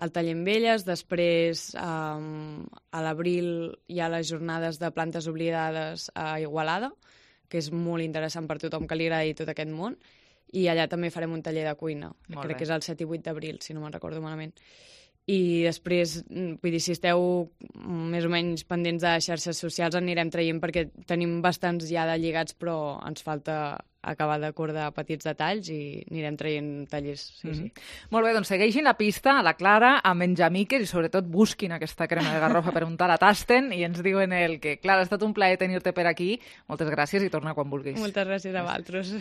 el taller amb elles, després a l'abril hi ha les jornades de plantes oblidades a Igualada, que és molt interessant per tothom que li agradi tot aquest món, i allà també farem un taller de cuina, crec que és el 7 i 8 d'abril, si no me'n recordo malament. I després, vull dir, si esteu més o menys pendents de xarxes socials, anirem traient perquè tenim bastants ja de lligats, però ens falta acabar d'acordar petits detalls i anirem traient tallers. Sí. Molt bé, doncs segueixin la pista a la Clara, a Menjamiques, i sobretot busquin aquesta crema de garrofa per untar la tasten i ens diuen que, Clara, ha estat un plaer tenir-te per aquí. Moltes gràcies i torna quan vulguis. Moltes gràcies a vosaltres.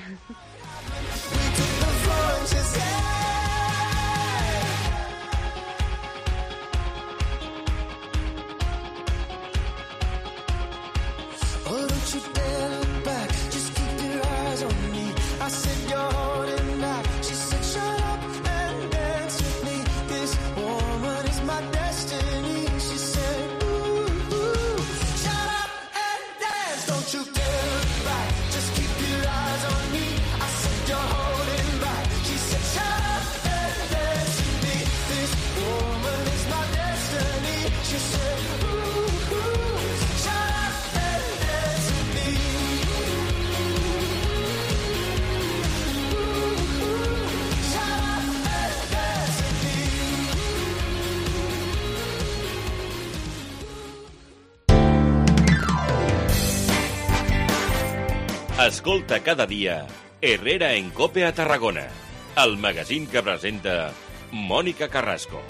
Escolta cada dia Herrera en Cope a Tarragona, el magazín que presenta Mònica Carrasco.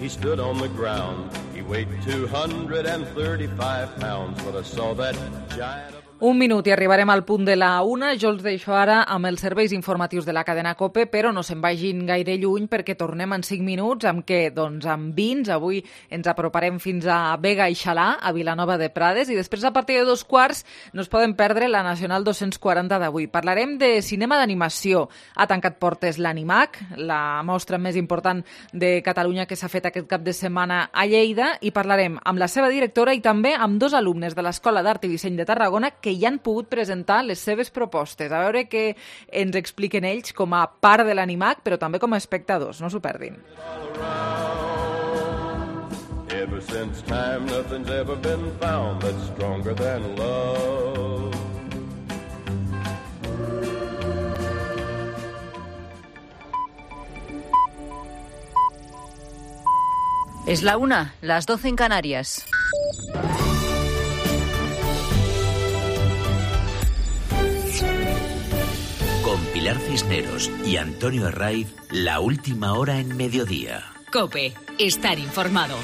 He stood on the ground. He weighed 235 pounds, but I saw that giant of... Un minut i arribarem al punt de la 1. Jo els deixo ara amb els serveis informatius de la cadena COPE, però no se'n vagin gaire lluny perquè tornem en 5 minuts. Amb què? Doncs amb vins. Avui ens aproparem fins a Vega i Xalà, a Vilanova de Prades, i després a partir de 2:15 no es poden perdre la Nacional 240 d'avui. Parlarem de cinema d'animació. Ha tancat portes l'Animac, la mostra més important de Catalunya que s'ha fet aquest cap de setmana a Lleida, i parlarem amb la seva directora i també amb 2 alumnes de l'Escola d'Art i Disseny de Tarragona que ja han pogut presentar les seves propostes. A veure què ens expliquen ells com a part de l'Animac, però també com a espectadors. No s'ho perdin. Ever since time, nothing's ever been found that's stronger than love. Es la 1, las 12 en Canarias. Con Pilar Cisneros y Antonio Herraiz, la última hora en mediodía. COPE, estar informado.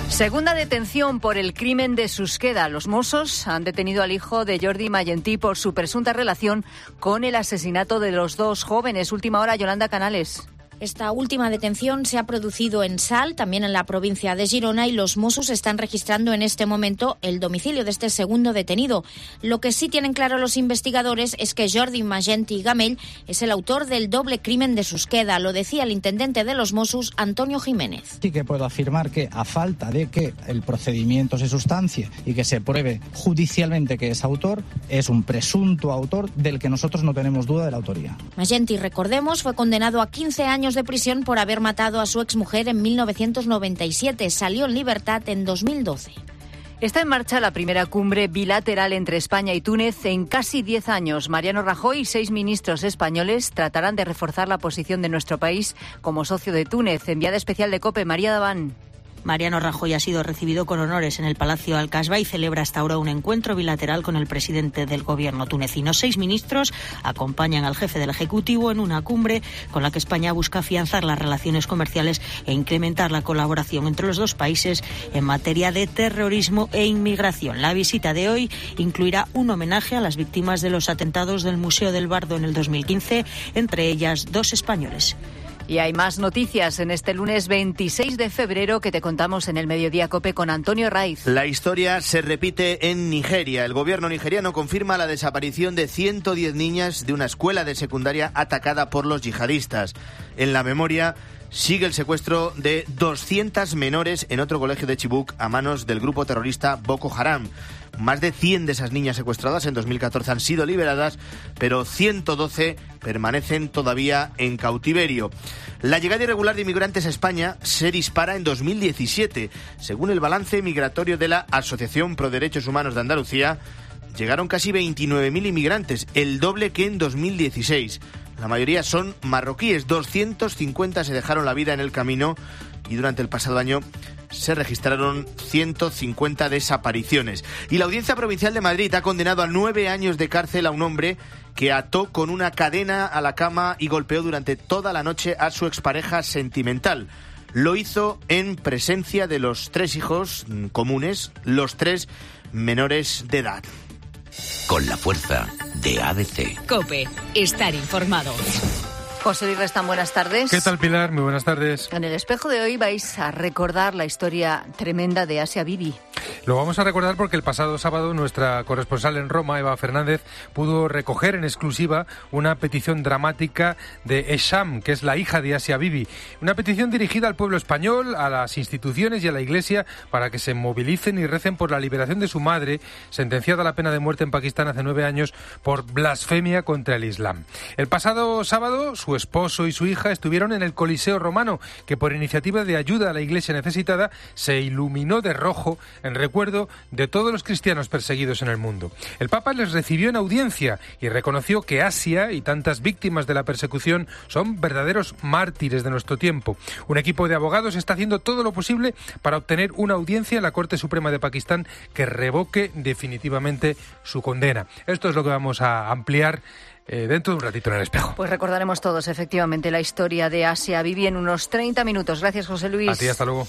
Segunda detención por el crimen de Susqueda. Los Mossos han detenido al hijo de Jordi Mayentí por su presunta relación con el asesinato de los 2 jóvenes. Última hora, Yolanda Canales. Esta última detención se ha producido en Salt, también en la provincia de Girona, y los Mossos están registrando en este momento el domicilio de este segundo detenido. Lo que sí tienen claro los investigadores es que Jordi Magenti Gamell es el autor del doble crimen de Susqueda. Lo decía el intendente de los Mossos, Antonio Jiménez. Sí que puedo afirmar que, a falta de que el procedimiento se sustancie y que se pruebe judicialmente que es autor, es un presunto autor del que nosotros no tenemos duda de la autoría. Magenti, recordemos, fue condenado a 15 años de prisión por haber matado a su exmujer en 1997. Salió en libertad en 2012. Está en marcha la primera cumbre bilateral entre España y Túnez en casi 10 años. Mariano Rajoy y 6 ministros españoles tratarán de reforzar la posición de nuestro país como socio de Túnez. Enviada especial de COPE, María Daván. Mariano Rajoy ha sido recibido con honores en el Palacio Al-Kasba y celebra hasta ahora un encuentro bilateral con el presidente del gobierno tunecino. 6 ministros acompañan al jefe del Ejecutivo en una cumbre con la que España busca afianzar las relaciones comerciales e incrementar la colaboración entre los dos países en materia de terrorismo e inmigración. La visita de hoy incluirá un homenaje a las víctimas de los atentados del Museo del Bardo en el 2015, entre ellas 2 españoles. Y hay más noticias en este lunes 26 de febrero que te contamos en el Mediodía COPE con Antonio Raiz. La historia se repite en Nigeria. El gobierno nigeriano confirma la desaparición de 110 niñas de una escuela de secundaria atacada por los yihadistas. En la memoria sigue el secuestro de 200 menores en otro colegio de Chibuk a manos del grupo terrorista Boko Haram. Más de 100 de esas niñas secuestradas en 2014 han sido liberadas, pero 112 permanecen todavía en cautiverio. La llegada irregular de inmigrantes a España se dispara en 2017. Según el balance migratorio de la Asociación Pro Derechos Humanos de Andalucía, llegaron casi 29.000 inmigrantes, el doble que en 2016. La mayoría son marroquíes, 250 se dejaron la vida en el camino y durante el pasado año se registraron 150 desapariciones. Y la Audiencia Provincial de Madrid ha condenado a 9 años de cárcel a un hombre que ató con una cadena a la cama y golpeó durante toda la noche a su expareja sentimental. Lo hizo en presencia de los 3 hijos comunes, los 3 menores de edad. Con la fuerza de ABC. COPE, estar informado. José Luis Restán, buenas tardes. ¿Qué tal, Pilar? Muy buenas tardes. En el espejo de hoy vais a recordar la historia tremenda de Asia Bibi. Lo vamos a recordar porque el pasado sábado nuestra corresponsal en Roma, Eva Fernández, pudo recoger en exclusiva una petición dramática de Esham, que es la hija de Asia Bibi. Una petición dirigida al pueblo español, a las instituciones y a la Iglesia para que se movilicen y recen por la liberación de su madre, sentenciada a la pena de muerte en Pakistán hace 9 años por blasfemia contra el Islam. El pasado sábado, su esposo y su hija estuvieron en el Coliseo Romano, que por iniciativa de ayuda a la Iglesia necesitada se iluminó de rojo en recuerdo de todos los cristianos perseguidos en el mundo. El Papa les recibió en audiencia y reconoció que Asia y tantas víctimas de la persecución son verdaderos mártires de nuestro tiempo. Un equipo de abogados está haciendo todo lo posible para obtener una audiencia en la Corte Suprema de Pakistán que revoque definitivamente su condena. Esto es lo que vamos a ampliar dentro de un ratito en el espejo. Pues recordaremos todos, efectivamente, la historia de Asia Bibi en unos 30 minutos. Gracias, José Luis. A ti, hasta luego.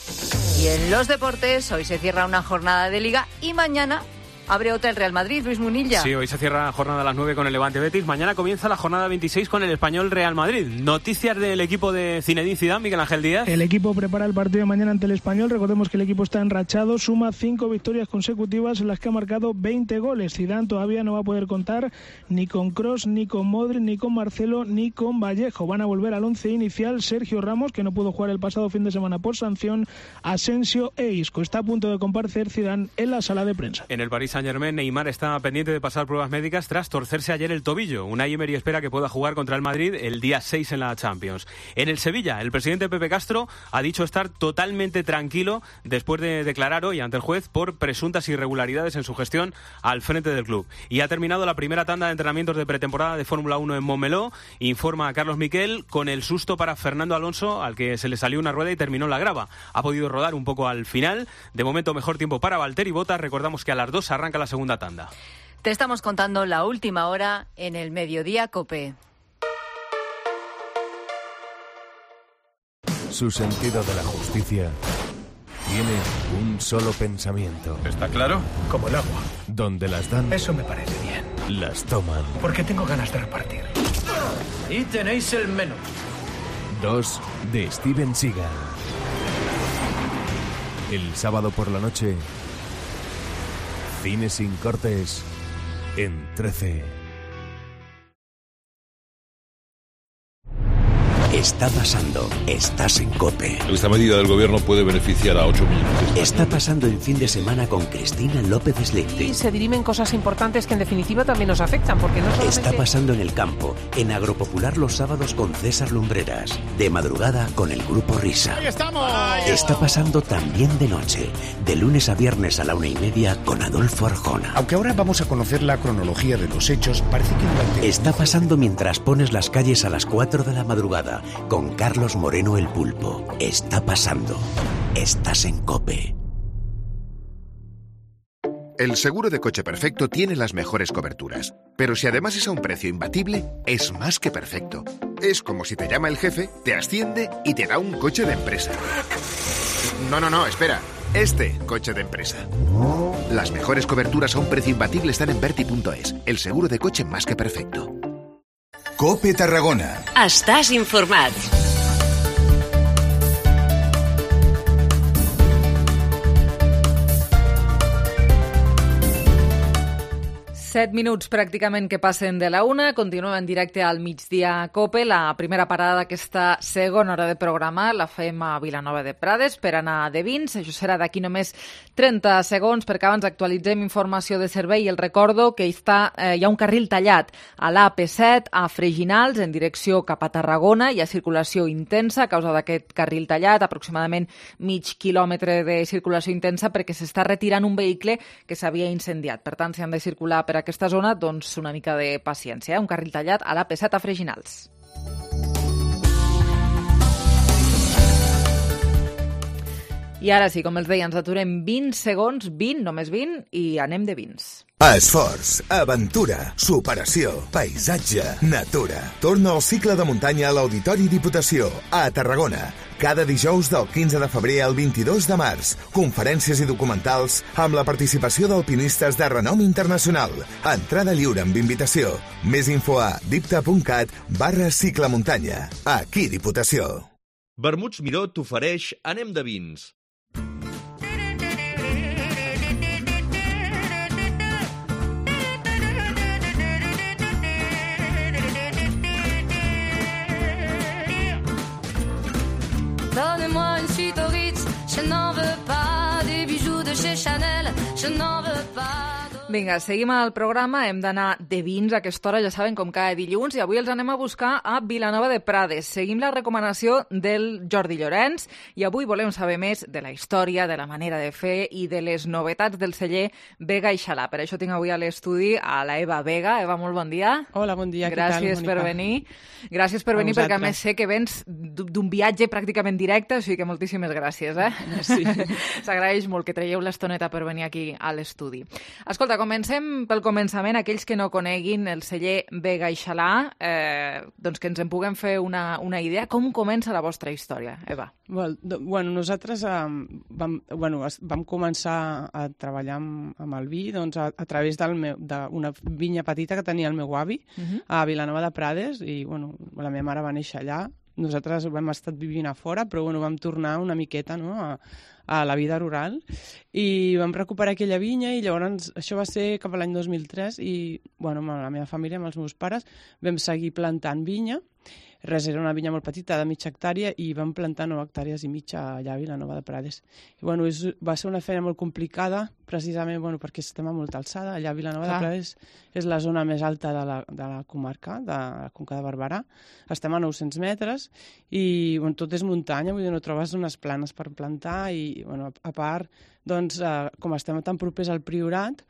Y en los deportes, hoy se cierra una jornada de Liga y mañana abre otra el Real Madrid, Luis Munilla. Sí, hoy se cierra la jornada a las 9 con el Levante Betis. Mañana comienza la jornada 26 con el Español Real Madrid. Noticias del equipo de Zinedine Zidane, Miguel Ángel Díaz. El equipo prepara el partido de mañana ante el Español. Recordemos que el equipo está enrachado, suma 5 victorias consecutivas en las que ha marcado 20 goles. Zidane todavía no va a poder contar ni con Kroos, ni con Modric, ni con Marcelo, ni con Vallejo. Van a volver al 11 inicial Sergio Ramos, que no pudo jugar el pasado fin de semana por sanción, Asensio e Isco. Está a punto de comparecer Zidane en la sala de prensa. En el Paris Saint-Germain, Neymar está pendiente de pasar pruebas médicas tras torcerse ayer el tobillo. Unai Emery espera que pueda jugar contra el Madrid el día 6 en la Champions. En el Sevilla, el presidente Pepe Castro ha dicho estar totalmente tranquilo después de declarar hoy ante el juez por presuntas irregularidades en su gestión al frente del club. Y ha terminado la primera tanda de entrenamientos de pretemporada de Fórmula 1 en Montmeló, informa a Carlos Miquel, con el susto para Fernando Alonso, al que se le salió una rueda y terminó la grava. Ha podido rodar un poco al final. De momento, mejor tiempo para Valtteri Bottas. Recordamos que a las 2 arranca la segunda tanda. Te estamos contando la última hora en el Mediodía COPE. Su sentido de la justicia tiene un solo pensamiento. ¿Está claro? Como el agua. Donde las dan, Eso me parece bien. las toman. Porque tengo ganas de repartir. Y tenéis el menú. 2 de Steven Seagal. El sábado por la noche, Cine sin cortes en 13. Está pasando. Estás en COPE. Esta medida del gobierno puede beneficiar a 8 millones de españoles. Está pasando el fin de semana con Cristina López Slichting. Y se dirimen cosas importantes que en definitiva también nos afectan, porque no solamente... Está pasando en el campo, en Agropopular los sábados con César Lumbreras. De madrugada con el Grupo Risa. ¡Ahí estamos! Está pasando también de noche, de lunes a viernes a la 1:30 con Adolfo Arjona. Aunque ahora vamos a conocer la cronología de los hechos, parece que durante... Está pasando mientras pones las calles a las 4 de la madrugada con Carlos Moreno el Pulpo. Está pasando. Estás en COPE. El seguro de coche perfecto tiene las mejores coberturas, pero si además es a un precio imbatible, es más que perfecto. Es como si te llama el jefe, te asciende y te da un coche de empresa. No, espera. Este coche de empresa. Las mejores coberturas a un precio imbatible están en Verti.es, el seguro de coche más que perfecto. COPE Tarragona. Estàs informat. Set minuts pràcticament que passen de la 1. Continuem en directe al migdia a COPE. La primera parada d'aquesta segona hora de programa la fem a Vilanova de Prades per anar de vins. Això serà d'aquí només 30 segons perquè abans actualitzem informació de servei. El recordo que hi ha un carril tallat a l'AP7 a Freginals en direcció cap a Tarragona. Hi ha circulació intensa a causa d'aquest carril tallat, aproximadament mig quilòmetre de circulació intensa perquè s'està retirant un vehicle que s'havia incendiat. Per tant, si han de circular per aquesta zona, doncs una mica de paciència. Un carril tallat a l'AP7 a Freginals. I ara sí, com els deia, ens aturem 20 segons, 20, només 20, i anem de vins. Esforç, aventura, superació, paisatge, natura. Torna al cicle de muntanya a l'Auditori Diputació, a Tarragona. Cada dijous del 15 de febrer al 22 de març. Conferències i documentals amb la participació d'alpinistes de renom internacional. Entrada lliure amb invitació. Més info a dipta.cat/ciclemuntanya. Aquí Diputació. Vermuts Miró t'ofereix Anem de vins. Donnez-moi une suite au Ritz, je n'en veux pas. Des bijoux de chez Chanel, je n'en veux pas. Vinga, seguim al programa. Hem d'anar de vins a aquesta hora, ja saben, com cada dilluns, i avui els anem a buscar a Vilanova de Prades. Seguim la recomanació del Jordi Llorenç i avui volem saber més de la història, de la manera de fer i de les novetats del celler Vega i Xalà. Per això tinc avui a l'estudi a la Eva Vega. Eva, molt bon dia. Hola, bon dia. Gràcies per venir. Gràcies per venir perquè a més sé que vens d'un viatge pràcticament directe, o sigui que moltíssimes gràcies. Sí. S'agraeix molt que traieu l'estoneta per venir aquí a l'estudi. Escolta, comencem pel començament. Aquells que no coneguin el celler Vega i Xalà, doncs que ens en puguem fer una idea. Com comença la vostra història, Eva? Bueno, nosaltres vam començar a treballar amb el vi doncs, a través d'una vinya petita que tenia el meu avi a Vilanova de Prades i la meva mare va néixer allà. Nosaltres hem estat vivint a fora, però vam tornar una miqueta a la vida rural i vam recuperar aquella vinya i llavors això va ser cap a l'any 2003 i amb la meva família, amb els meus pares, vam seguir plantant vinya. Res, era una vinya molt petita, de mitja hectàrea, i vam plantar 9 hectàrees i mitja allà a Vilanova de Prades. I, va ser una feina molt complicada, precisament perquè estem a molta alçada. Allà a Vilanova de Prades és la zona més alta de la comarca, de la Conca de Barberà. Estem a 900 metres i tot és muntanya, vull dir, no trobes unes planes per plantar i, a part, com estem tan propers al Priorat,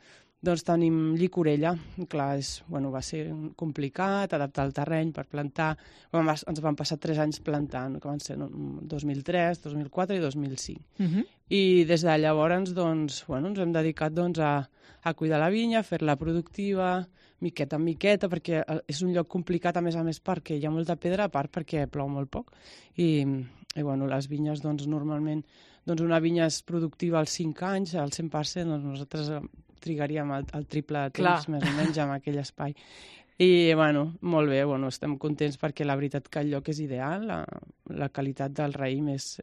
doncs tenim llicorella. Clar, va ser complicat adaptar el terreny per plantar. Ens van passar 3 anys plantant, que van ser 2003, 2004 i 2005. I des de llavors ens hem dedicat a cuidar la vinya, a fer-la productiva, miqueta en miqueta, perquè és un lloc complicat, a més perquè hi ha molta pedra, a part perquè plou molt poc. I les vinyes, normalment, una vinya és productiva als 5 anys, al 100%, nosaltres trigaríem el triple de temps, més o menys, en aquell espai. I, bueno, molt bé, bueno, estem contents perquè la veritat que el lloc és ideal, la qualitat del raïm és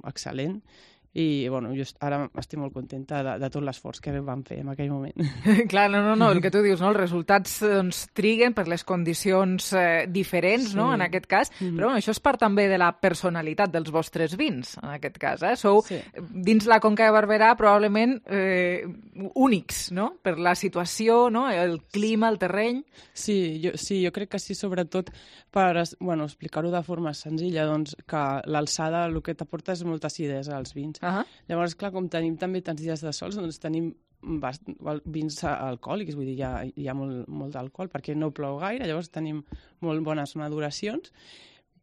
excel·lent i, bueno, jo ara estic molt contenta de tot l'esforç que vam fer en aquell moment. Clar, no, el que tu dius, no? Els resultats doncs, triguen per les condicions diferents, no?, en aquest cas, però bueno, això és part també de la personalitat dels vostres vins, en aquest cas, Sou, dins la Conca de Barberà, probablement únics, no?, per la situació, no?, el clima, el terreny. Sí, jo crec que sí, sobretot per explicar-ho de forma senzilla, doncs que l'alçada el que t'aporta és molta acidesa als vins. Llavors, clar, com tenim també tants dies de sols, doncs tenim vins alcohòlics, vull dir, hi ha molt d'alcohol, perquè no plou gaire, llavors tenim molt bones maduracions,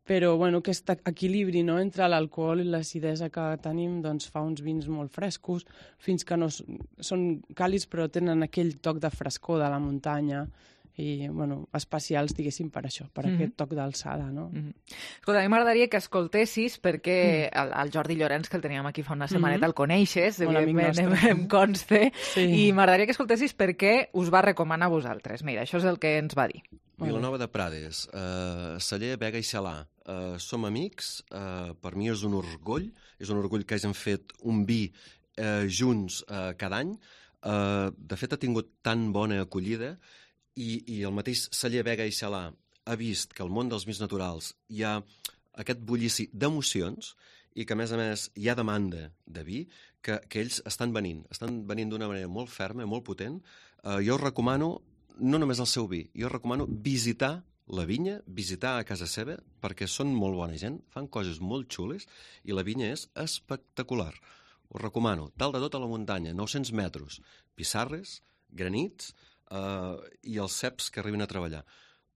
però bueno, aquest equilibri, no?, entre l'alcohol i l'acidesa que tenim doncs, fa uns vins molt frescos, fins que no són càlids però tenen aquell toc de frescor de la muntanya, i, bueno, especials, diguéssim, per això, per aquest toc d'alçada, no? Escolta, a mi m'agradaria que escoltessis, perquè el Jordi Llorenç, que el teníem aquí fa una setmaneta, el coneixes, evidentment, em conste, i m'agradaria que escoltessis per què us va recomanar a vosaltres. Mira, això és el que ens va dir. Vilanova de Prades, celler Vega i Celà. Som amics, per mi és un orgull que hagin fet un vi junts cada any. De fet, ha tingut tan bona acollida i el mateix celler Vega i Celà ha vist que al món dels vins naturals hi ha aquest bullici d'emocions i que, a més, hi ha demanda de vi que ells estan venint d'una manera molt ferma, molt potent. Jo us recomano no només el seu vi, jo recomano visitar la vinya, visitar a casa seva, perquè són molt bona gent, fan coses molt xules i la vinya és espectacular. Us recomano, dalt de tot a la muntanya, 900 metres, pissarres, granits i els ceps que arriben a treballar.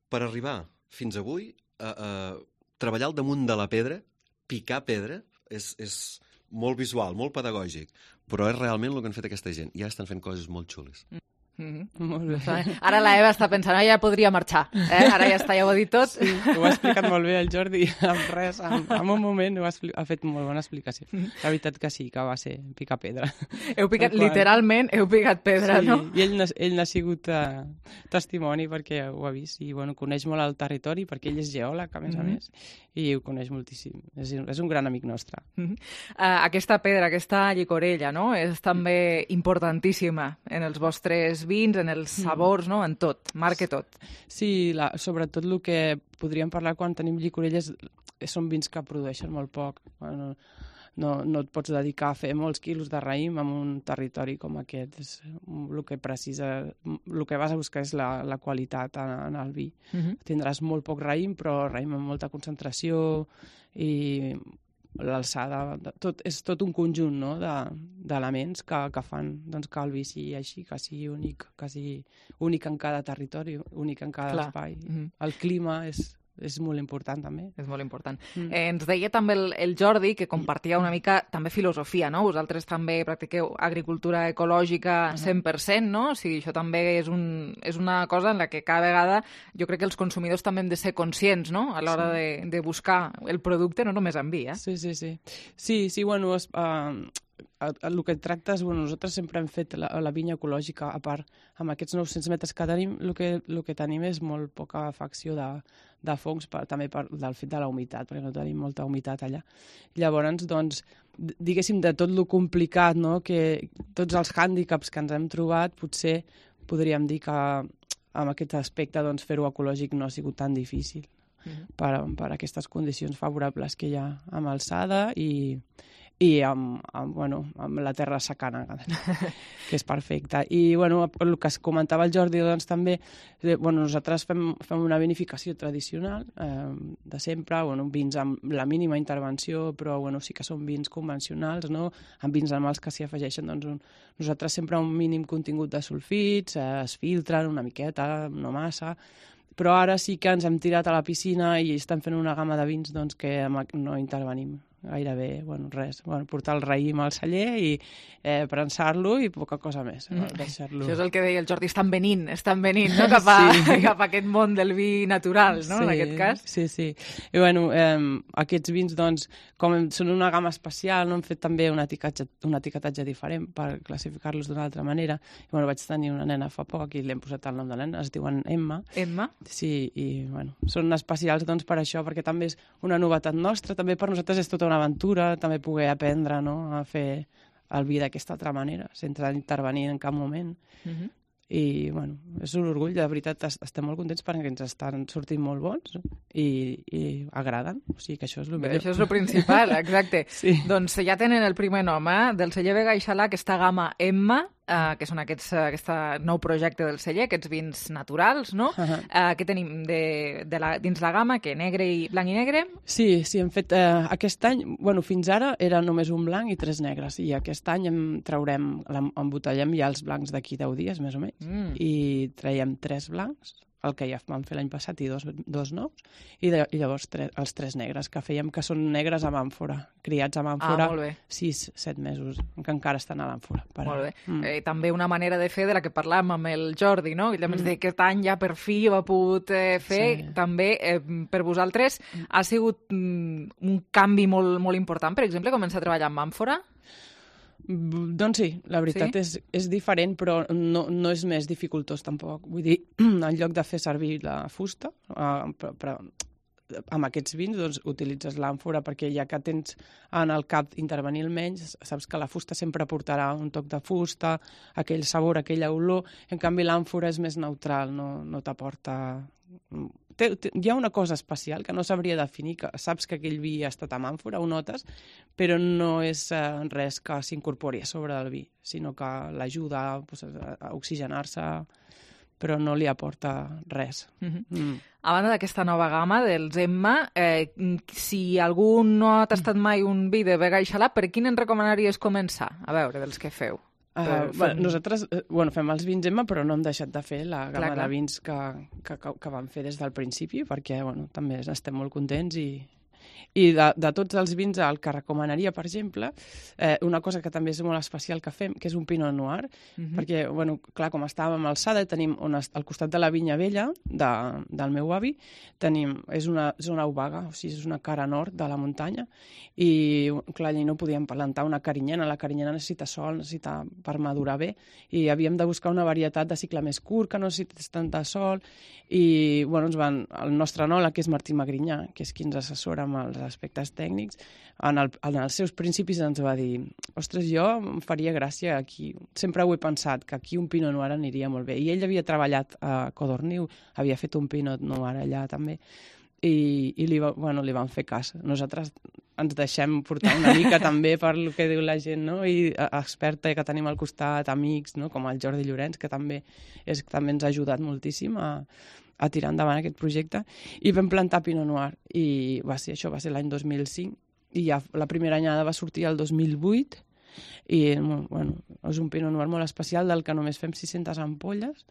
Per arribar fins avui, treballar al damunt de la pedra, picar pedra, és molt visual, molt pedagògic, però és realment el que han fet aquesta gent. Ja estan fent coses molt xules. Molt bé. Ara la Eva està pensant, ja podria marxar, ara ja està, ja ho ha dit tot. Sí, ho ha explicat molt bé el Jordi, amb res, en un moment ha fet molt bona explicació. La veritat que sí, que va ser picar pedra. Literalment heu picat pedra, no? I ell n'ha sigut testimoni perquè ho ha vist i coneix molt el territori, perquè ell és geòleg, a més, i ho coneix moltíssim. És un gran amic nostre. Aquesta pedra, aquesta llicorella, no?, és també importantíssima en els vostres vins, en els sabors, no?, en tot, marca tot. Sí, sobretot el que podríem parlar quan tenim llicorelles són vins que produeixen molt poc. No et pots dedicar a fer molts quilos de raïm en un territori com aquest. El que vas a buscar és la qualitat en el vi. Tindràs molt poc raïm, però raïm amb molta concentració i l'alçada, és tot un conjunt, no?, d'elements que fan que el vi sigui així, que sigui únic en cada territori, únic en cada espai. El clima és molt important, també. És molt important. Ens deia també el Jordi que compartia una mica també filosofia, no? Vosaltres també practiqueu agricultura ecològica 100%, no? O sigui, això també és una cosa en la que cada vegada jo crec que els consumidors també hem de ser conscients, no?, a l'hora de buscar el producte, no només en vi, Sí. Sí, bueno, el que tractes, nosaltres sempre hem fet la vinya ecològica, a part, amb aquests 900 metres que tenim, el que tenim és molt poca afecció de fongs, també del fet de la humitat, perquè no tenim molta humitat allà. Llavors, doncs, diguéssim, de tot lo complicat, no?, que tots els hàndicaps que ens hem trobat, potser podríem dir que amb aquest aspecte fer-ho ecològic no ha sigut tan difícil per aquestes condicions favorables que hi ha amb alçada i amb la terra secana, que és perfecta. I el que es comentava el Jordi, doncs també, nosaltres fem una vinificació tradicional de sempre, vins amb la mínima intervenció, però sí que són vins convencionals, no?, amb vins animals que s'hi afegeixen, doncs nosaltres sempre un mínim contingut de sulfits, es filtren una miqueta, no massa, però ara sí que ens hem tirat a la piscina i estem fent una gamma de vins que no intervenim gairebé, res, portar el raïm al celler i prensar-lo i poca cosa més. Això és el que deia el Jordi, estan venint, no? Cap a aquest món del vi natural, no? En aquest cas. Sí. I aquests vins, doncs, com són una gamma especial, no hem fet també un etiquetatge diferent per classificar-los d'una altra manera. I vaig tenir una nena fa poc i li hem posat el nom de nena, es diuen Emma. Emma? Sí, i són especials doncs per això, perquè també és una novetat nostra, també per nosaltres és tota una aventura, també poder aprendre, no?, a fer el vi d'aquesta altra manera, sense intervenir en cap moment. I, és un orgull, de veritat, estem molt contents perquè ens estan sortint molt bons i agraden, o sigui que això és el millor. Això és el principal, exacte. Sí. Doncs ja tenen el primer nom, del celler Vega i Xalà, aquesta gamma Emma, que són aquest nou projecte del celler, aquests vins naturals, no? Què tenim dins la gamma? Blanc i negre? Sí, hem fet aquest any, fins ara era només un blanc i 3 negres, i aquest any embotellem ja els blancs d'aquí 10 dies, més o menys, i traiem 3 blancs, el que ja vam fer l'any passat, i dos nous, i llavors els 3 negres que fèiem, que són negres amb àmfora, criats amb àmfora 6-7 mesos, que encara estan a l'àmfora. Molt bé. També una manera de fer de la que parlàvem amb el Jordi, no? I també aquest any ja per fi ho ha pogut fer. També per vosaltres ha sigut un canvi molt, molt important, per exemple, començar a treballar amb àmfora? Doncs sí, la veritat és diferent, però no és més dificultós tampoc. Vull dir, en lloc de fer servir la fusta, però amb aquests vins doncs, utilitzes l'àmfora perquè ja que tens en el cap intervenir menys, saps que la fusta sempre portarà un toc de fusta, aquell sabor, aquella olor. En canvi, l'àmfora és més neutral, no t'aporta... Hi ha una cosa especial que no sabria definir, que saps que aquell vi ha estat amb àmfora, ho notes, però no és res que s'incorpori a sobre del vi, sinó que l'ajuda a oxigenar-se, però no li aporta res. A banda d'aquesta nova gamma dels Emma, si algú no ha tastat mai un vi de Vega i Xalà, per quin en recomanaries començar? A veure, dels que feu. Nosaltres fem els vins Emma, però no hem deixat de fer la gamma de vins que vam fer des del principi, perquè també estem molt contents i de tots els vins, el que recomanaria, per exemple, una cosa que també és molt especial que fem, que és un Pinot Noir, perquè, clar, com estàvem a Alçada, tenim al costat de la vinya vella del meu avi, és una zona obaga, o sigui, és una cara nord de la muntanya, i, clar, allà no podíem plantar una carinyena, la carinyena necessita sol, necessita per madurar bé, i havíem de buscar una varietat de cicle més curt, que no necessités tanta sol, i, el nostre enòleg, que és Martí Magrinyà, que és qui ens assessora amb els aspectes tècnics, en els seus principis ens va dir, ostres, jo em faria gràcia aquí, sempre ho he pensat, que aquí un Pinot Noir aniria molt bé, i ell havia treballat a Codorniu, havia fet un Pinot Noir allà també, i li van fer cas. Nosaltres ens deixem portar una mica també per el que diu la gent, no? I experta que tenim al costat, amics, no? Com el Jordi Llorenç, que també ens ha ajudat moltíssim a tirar endavant aquest projecte, i vam plantar Pinot Noir, i això va ser l'any 2005, i ja la primera anyada va sortir el 2008, i és un Pinot Noir molt especial del que només fem 600 ampolles.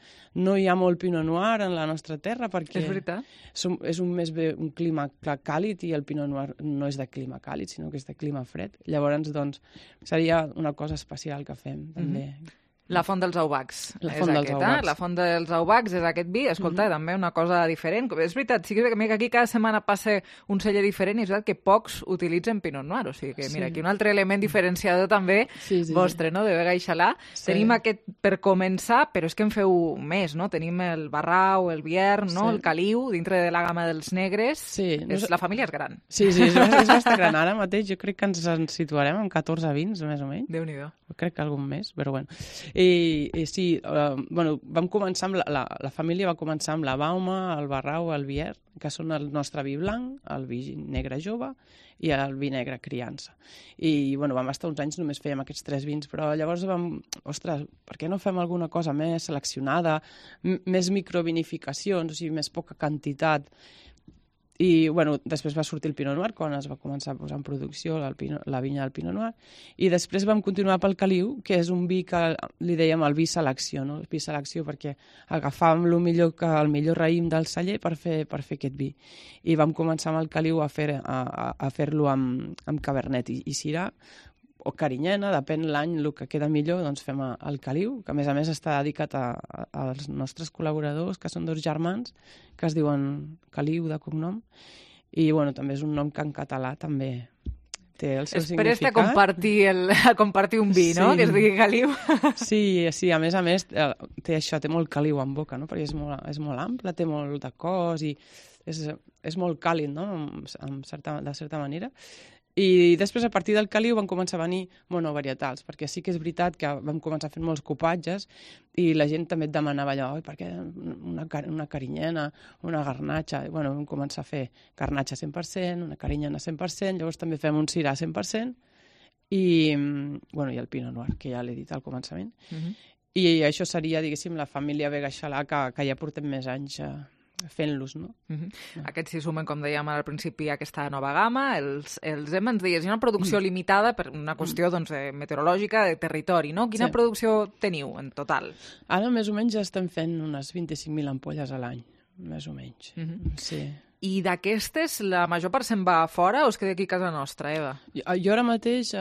No hi ha molt Pinot Noir en la nostra terra perquè és un clima càlid, i el Pinot Noir no és de clima càlid, sinó que és de clima fred. Llavors, seria una cosa especial que fem, també. La Font dels Aubacs La Font dels Aubacs és aquest vi. Escolta, també una cosa diferent. És veritat, sí que aquí cada setmana passa un celler diferent, i és veritat que pocs utilitzen Pinot Noir. O sigui que, mira, aquí un altre element diferenciador també vostre, no?, de Vega i Xalà. Tenim aquest per començar, però és que en feu més, no? Tenim el Barrau, el Biern, no?, el Caliu, dintre de la gamma dels negres. La família és gran. Sí, és bastant gran. Ara mateix jo crec que ens situarem en 14 vins, més o menys. Déu-n'hi-do. Crec que algun més, però bueno. I sí, vam començar amb la família va començar amb la Bauma, el Barrau, el Bier, que són el nostre vi blanc, el vi negre jove i el vi negre criança. I vam estar uns anys, només fèiem aquests 3 vins, però llavors ostres, per què no fem alguna cosa més seleccionada, més microvinificacions, o sigui, més poca quantitat? I, bueno, després va sortir el Pinot Noir, quan es va començar a posar en producció la vinya del Pinot Noir, i després vam continuar pel Caliu, que és un vi que li dèiem el vi selecció, no? El vi selecció perquè agafàvem el millor raïm del celler per fer aquest vi. I vam començar amb el Caliu a fer-lo amb Cabernet i Syrah, o Carinyena, depèn l'any, el que queda millor, doncs fem el Caliu, que a més està dedicat als nostres col·laboradors, que són 2 germans, que es diuen Caliu de cognom, i bueno, també és un nom que en català també té el seu significat. A compartir un vi, no?, que es digui Caliu. Sí, a més, té molt caliu en boca, no?, perquè és molt ample, té molt de cos i és molt càlid, no?, de certa manera. I després, a partir del Caliu, van començar a venir monovarietals, perquè sí que és veritat que vam començar fent molts cupatges i la gent també et demanava allò, per què una carinyena, una garnatxa? I, bueno, vam començar a fer garnatxa 100%, una carinyena 100%, llavors també fem un Syrah 100%, i el Pinot Noir, que ja l'he dit al començament. I això seria, diguéssim, la família Vega i Xalà, que ja portem més anys fent-los, no? Aquests s'hi sumen, com dèiem al principi, aquesta nova gamma, els hem, ens deies, una producció limitada per una qüestió meteorològica de territori, no? Quina producció teniu en total? Ara més o menys ja estem fent unes 25.000 ampolles a l'any, més o menys. Sí. I d'aquestes, la major part se'n va a fora o es queda aquí a casa nostra, Eva? Jo ara mateix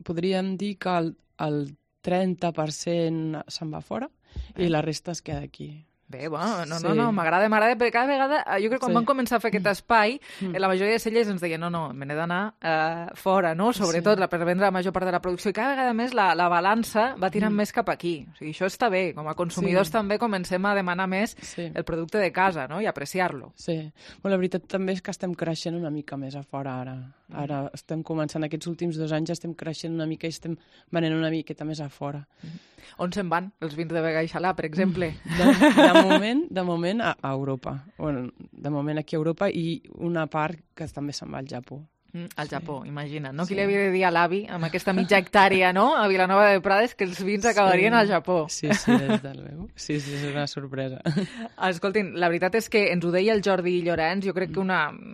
podríem dir que el 30% se'n va fora i la resta es queda aquí. Bé, bueno, no, m'agrada, perquè cada vegada, jo crec que quan vam començar a fer aquest espai, la majoria de cellers ens deien, no, me n'he d'anar fora, no?, sobretot per vendre la major part de la producció, i cada vegada més la balança va tirant més cap aquí. O sigui, això està bé, com a consumidors també comencem a demanar més el producte de casa, no?, i apreciar-lo. Sí, bueno, la veritat també és que estem creixent una mica més a fora ara. Ara estem començant, aquests últims 2 anys estem creixent una mica i estem venent una miqueta més a fora. On se'n van els vins de Vega i Xalà, per exemple? De moment a Europa. Bueno, de moment aquí a Europa i una part que també se'n va al Japó. Al Japó, imagina't, no? Qui li havia de dir a l'avi, amb aquesta mitja hectàrea, no?, a Vilanova de Prades, que els vins acabarien al Japó. Sí, des del meu. Sí, és una sorpresa. Escoltin, la veritat és que ens ho deia el Jordi Llorenç, jo crec que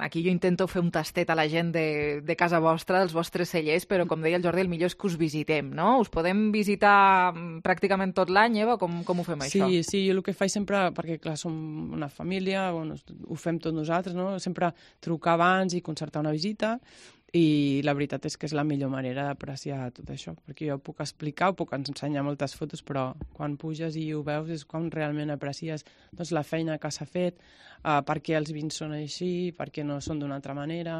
aquí jo intento fer un tastet a la gent de casa vostra, dels vostres cellers, però com deia el Jordi, el millor és que us visitem, no? Us podem visitar pràcticament tot l'any, Eva? Com ho fem, això? Sí, jo el que faig sempre, perquè clar, som una família, ho fem tots nosaltres, no? Sempre trucar abans i concertar una visita, i la veritat és que és la millor manera d'apreciar tot això, perquè jo puc explicar, puc ensenyar moltes fotos, però quan puges i ho veus és quan realment aprecies la feina que s'ha fet, per què els vins són així, per què no són d'una altra manera,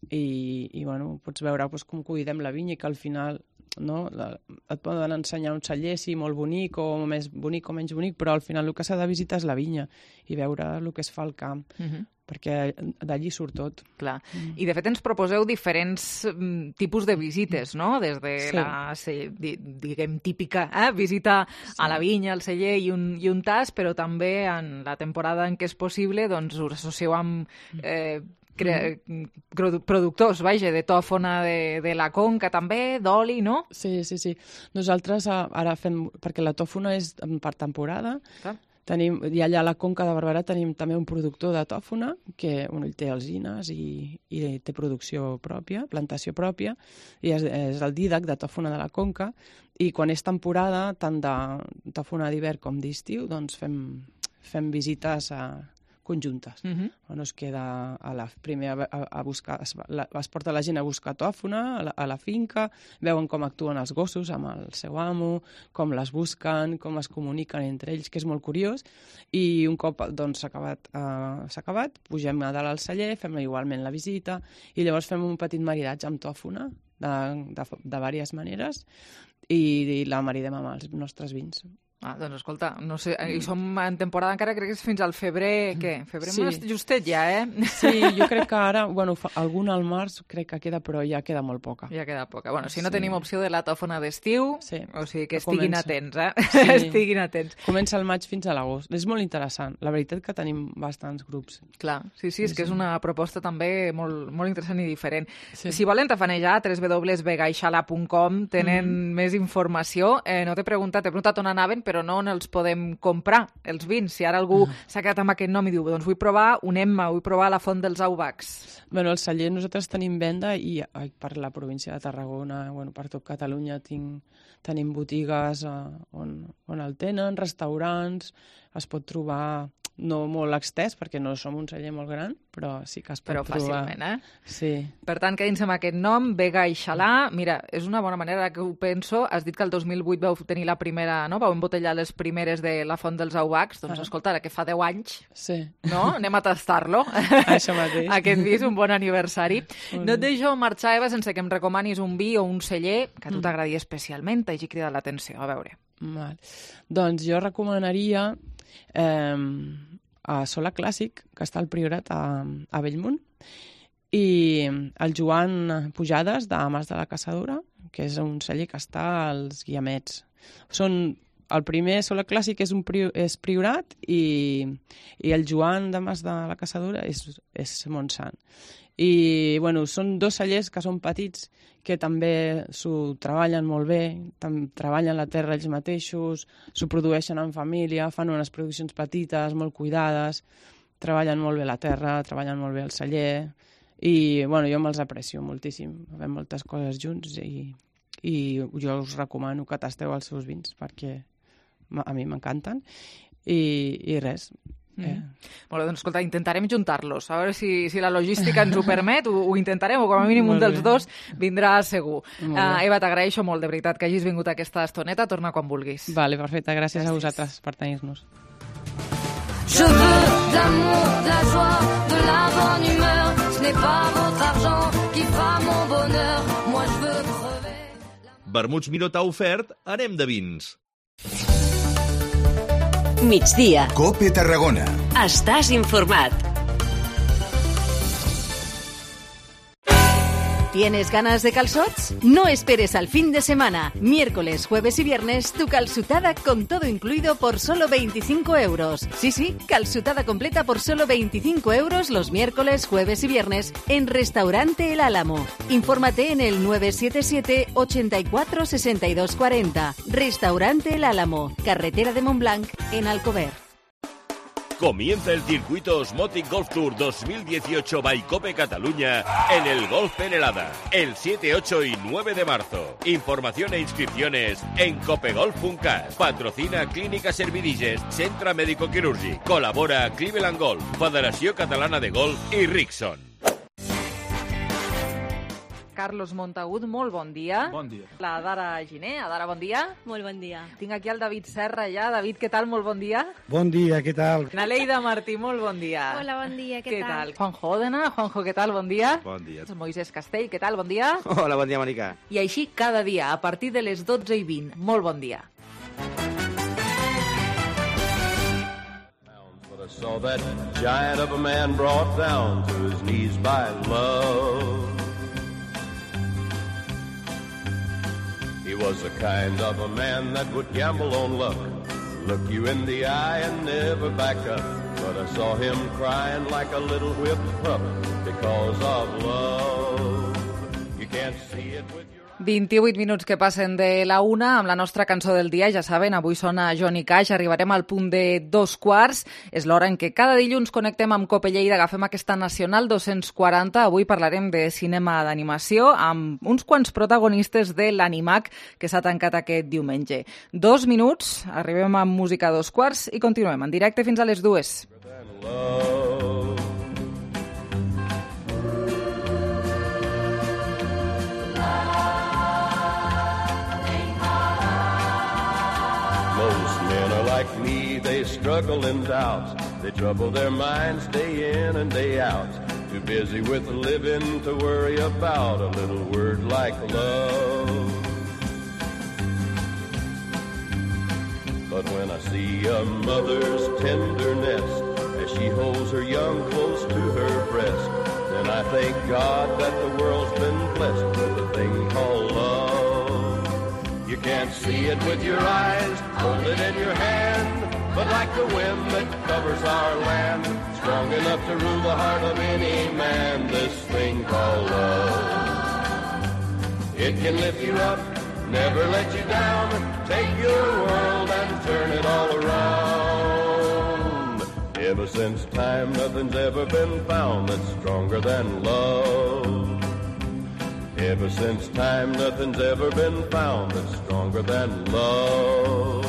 i bueno, pots veure com cuidem la vinya i que al final et poden ensenyar un celler, sí, molt bonic o més bonic o menys bonic, però al final el que s'ha de visitar és la vinya i veure el que es fa al camp, perquè d'allí surt tot. Clar. I de fet ens proposeu diferents tipus de visites, no? Des de la, diguem, típica visita a la vinya, al celler i un tas, però també en la temporada en què és possible doncs us associeu amb productors, de tòfona de la Conca també, d'oli, no? Sí. Nosaltres ara fem, perquè la tòfona és per temporada, i allà a la Conca de Barberà tenim també un productor de tòfona que ell té alzines i té producció pròpia, plantació pròpia, i és el Dídac de tòfona de la Conca, i quan és temporada, tant de tòfona d'hivern com d'estiu, doncs fem visites conjuntes. Es queda primer a buscar, es porta la gent a buscar tòfona a la finca, veuen com actuen els gossos amb el seu amo, com les busquen, com es comuniquen entre ells, que és molt curiós, i un cop s'ha acabat, pugem a dalt al celler, fem igualment la visita, i llavors fem un petit maridatge amb tòfona, de diverses maneres, i la maridem amb els nostres vins. Doncs escolta, no sé, i som en temporada encara, crec que és fins al febrer, què? Febrer justet ja, Sí, jo crec que ara, alguna al març crec que queda, però ja queda molt poca. Ja queda poca. Bueno, si no tenim opció de la tòfona d'estiu, o sigui que estiguin atents, Estiguin atents. Comença el maig fins a l'agost. És molt interessant. La veritat que tenim bastants grups. Clar, sí, és que és una proposta també molt interessant i diferent. Si volen tafanejar, www.vegaixala.com, tenen més informació. No t'he preguntat on anaven, però però no on els podem comprar, els vins. Si ara algú s'ha quedat amb aquest nom i diu, doncs vull provar un Emma, vull provar la Font dels Aubacs. Bueno, el celler nosaltres tenim venda i per la província de Tarragona, per tot Catalunya tenim botigues on el tenen, restaurants, es pot trobar no molt extès, perquè no som un celler molt gran, però sí que es pot trobar. Però fàcilment, Sí. Per tant, quedin-se amb aquest nom, Vega i Xalà. Mira, és una bona manera que ho penso. Has dit que el 2008 vau tenir la primera, no? Vau embotellar les primeres de la Font dels Aubacs. Doncs escolta, ara que fa 10 anys, no? Anem a tastar-lo. Això mateix. Aquest vi és un bon aniversari. No et deixo marxar, Eva, sense que em recomanis un vi o un celler que a tu t'agradi especialment, t'hagi cridat l'atenció. A veure. Val. Doncs jo recomanaria a Sola Clàssic, que està al Priorat a Bellmunt, i el Joan Pujades, de Mas de la Caçadora, que és un celler que està als Guiamets. El primer Sola Clàssic és Priorat i el Joan de Mas de la Caçadora és Montsant. I són dos cellers que són petits, que també s'ho treballen molt bé, treballen la terra ells mateixos, s'ho produeixen en família, fan unes produccions petites, molt cuidades, treballen molt bé la terra, treballen molt bé el celler, i jo me'ls aprecio moltíssim. Fem moltes coses junts i jo us recomano que tasteu els seus vins, perquè a mi m'encanten, i res. Molt bé, doncs escolta, intentarem juntar-los, a veure si la logística ens ho permet, ho intentarem, o com a mínim un dels dos vindrà segur. Eva, t'agraeixo molt, de veritat, que hagis vingut aquesta estoneta, torna quan vulguis. Vale, perfecte, gràcies a vosaltres per tenir-nos. Je veux de l'amour, de la joie, de la bonne humeur. Ce n'est pas votre argent qui fera mon bonheur. Moi je veux crever. Vermuts Miró t'ha ofert Anem de vins. Migdia. COPE Tarragona. Estàs informat. ¿Tienes ganas de calzots? No esperes al fin de semana. Miércoles, jueves y viernes, tu calzutada con todo incluido por solo 25 euros. Sí, calzutada completa por solo 25 euros los miércoles, jueves y viernes en Restaurante El Álamo. Infórmate en el 977 84 62 40. Restaurante El Álamo, carretera de Montblanc, en Alcover. Comienza el circuito Osmotic Golf Tour 2018 by Cope Cataluña en el Golf Penelada, el 7, 8 y 9 de marzo. Información e inscripciones en copegolf.cat. Patrocina Clínica Servidilles, Centre Médico Quirúrgic. Colabora Cleveland Golf, Federació Catalana de Golf i Rickson. Carlos Montagut, molt bon dia. Bon dia. La Dara Giner. Dara, bon dia. Molt bon dia. Tinc aquí el David Serra ja. David, què tal? Molt bon dia. Bon dia, què tal? Naleida Martí, molt bon dia. Hola, bon dia, què tal? Juanjo Òdena. Juanjo, què tal? Bon dia. Bon dia. Moisés Castell, què tal? Bon dia. Hola, bon dia, Mònica. I així cada dia, a partir de les 12:20. Molt bon dia. I saw that giant of a man brought down to his knees by love. He was the kind of a man that would gamble on luck, look you in the eye and never back up. But I saw him crying like a little whipped pup because of love. You can't see it with your 28 minuts que passen de la 1 amb la nostra cançó del dia. Ja saben, avui sona Johnny Cash. Arribarem al punt de 2:15. És l'hora en què cada dilluns connectem amb Cope Lleida, agafem aquesta Nacional 240. Avui parlarem de cinema d'animació amb uns quants protagonistes de l'Animac que s'ha tancat aquest diumenge. 2 minuts, arribem amb música a 2:15 i continuem en directe fins a les 2. Like me, they struggle in doubts. They trouble their minds day in and day out. Too busy with living to worry about a little word like love. But when I see a mother's tenderness as she holds her young close to her breast, then I thank God that the world's been blessed with a thing called love. You can't see it with your eyes, hold it in your hand, but like the wind that covers our land, strong enough to rule the heart of any man, this thing called love. It can lift you up, never let you down, take your world and turn it all around. Ever since time, nothing's ever been found that's stronger than love. Ever since time, nothing's ever been found that's stronger than love.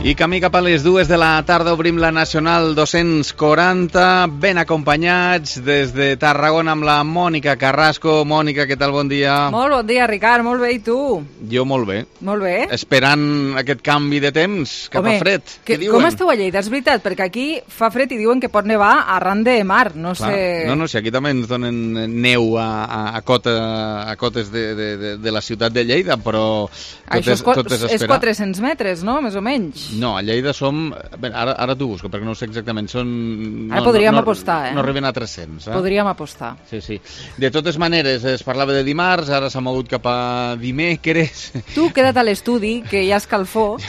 I camí cap a les 2 de la tarda obrim la Nacional 240, ben acompanyats des de Tarragona amb la Mònica Carrasco. Mònica, què tal? Bon dia. Molt bon dia, Ricard, molt bé, i tu? Jo molt bé. Molt bé. Esperant aquest canvi de temps, que fa fred. Què diuen? Com esteu a Lleida? És veritat, perquè aquí fa fred i diuen que pot nevar arran de mar, no sé... No, si aquí també ens donen neu a cotes de la ciutat de Lleida, però tot és esperar. És 400 metres, no?, més o menys. No, a Lleida som... Ara t'ho busco, perquè no ho sé exactament. Ara podríem apostar, No arriben a 300. Podríem apostar. Sí. De totes maneres, es parlava de dimarts, ara s'ha mogut cap a dimecres. Tu queda't a l'estudi, que hi ha escalfor,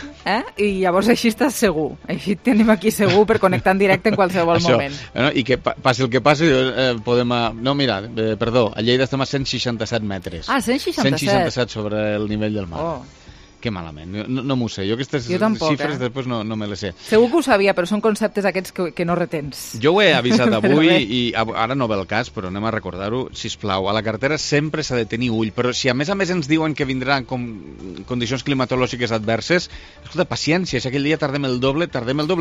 i llavors així estàs segur. Així tenim aquí segur per connectar en directe en qualsevol moment. I que passi el que passi, podem... No, mira, perdó, a Lleida estem a 167 metres. 167? 167 sobre el nivell del mar. Oh. Que malament, no m'ho sé. Jo aquestes xifres després no me les sé. Segur que ho sabia, però són conceptes aquests que no retens. Jo ho he avisat avui i ara no ve el cas, però anem a recordar-ho, sisplau. A la carretera sempre s'ha de tenir ull, però si a més ens diuen que vindran condicions climatològiques adverses, escolta, paciència, si aquell dia tardem el doble.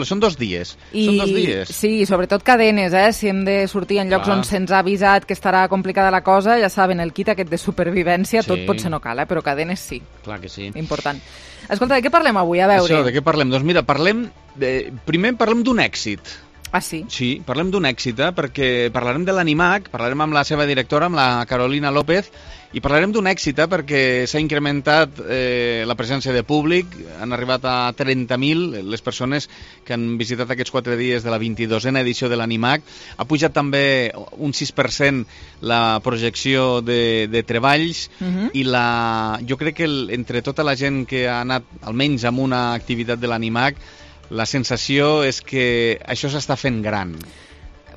Són 2 dies. Són 2 dies. Sí, sobretot cadenes, si hem de sortir en llocs on se'ns ha avisat que estarà complicada la cosa, ja saben, el kit aquest de supervivència, tot potser no cal, però cadenes sí. Clar que sí. Important. Escolta, de què parlem avui? A veure. Això, de què parlem? Doncs mira, primer parlem d'un èxit. Ah, sí? Sí, parlem d'un èxit, perquè parlarem de l'Animac, parlarem amb la seva directora, amb la Carolina López, i parlarem d'un èxit, perquè s'ha incrementat la presència de públic, han arribat a 30.000 les persones que han visitat aquests 4 dies de la 22a edició de l'Animac. Ha pujat també un 6% la projecció de treballs i jo crec que entre tota la gent que ha anat almenys amb una activitat de l'Animac, la sensació és que això s'està fent gran.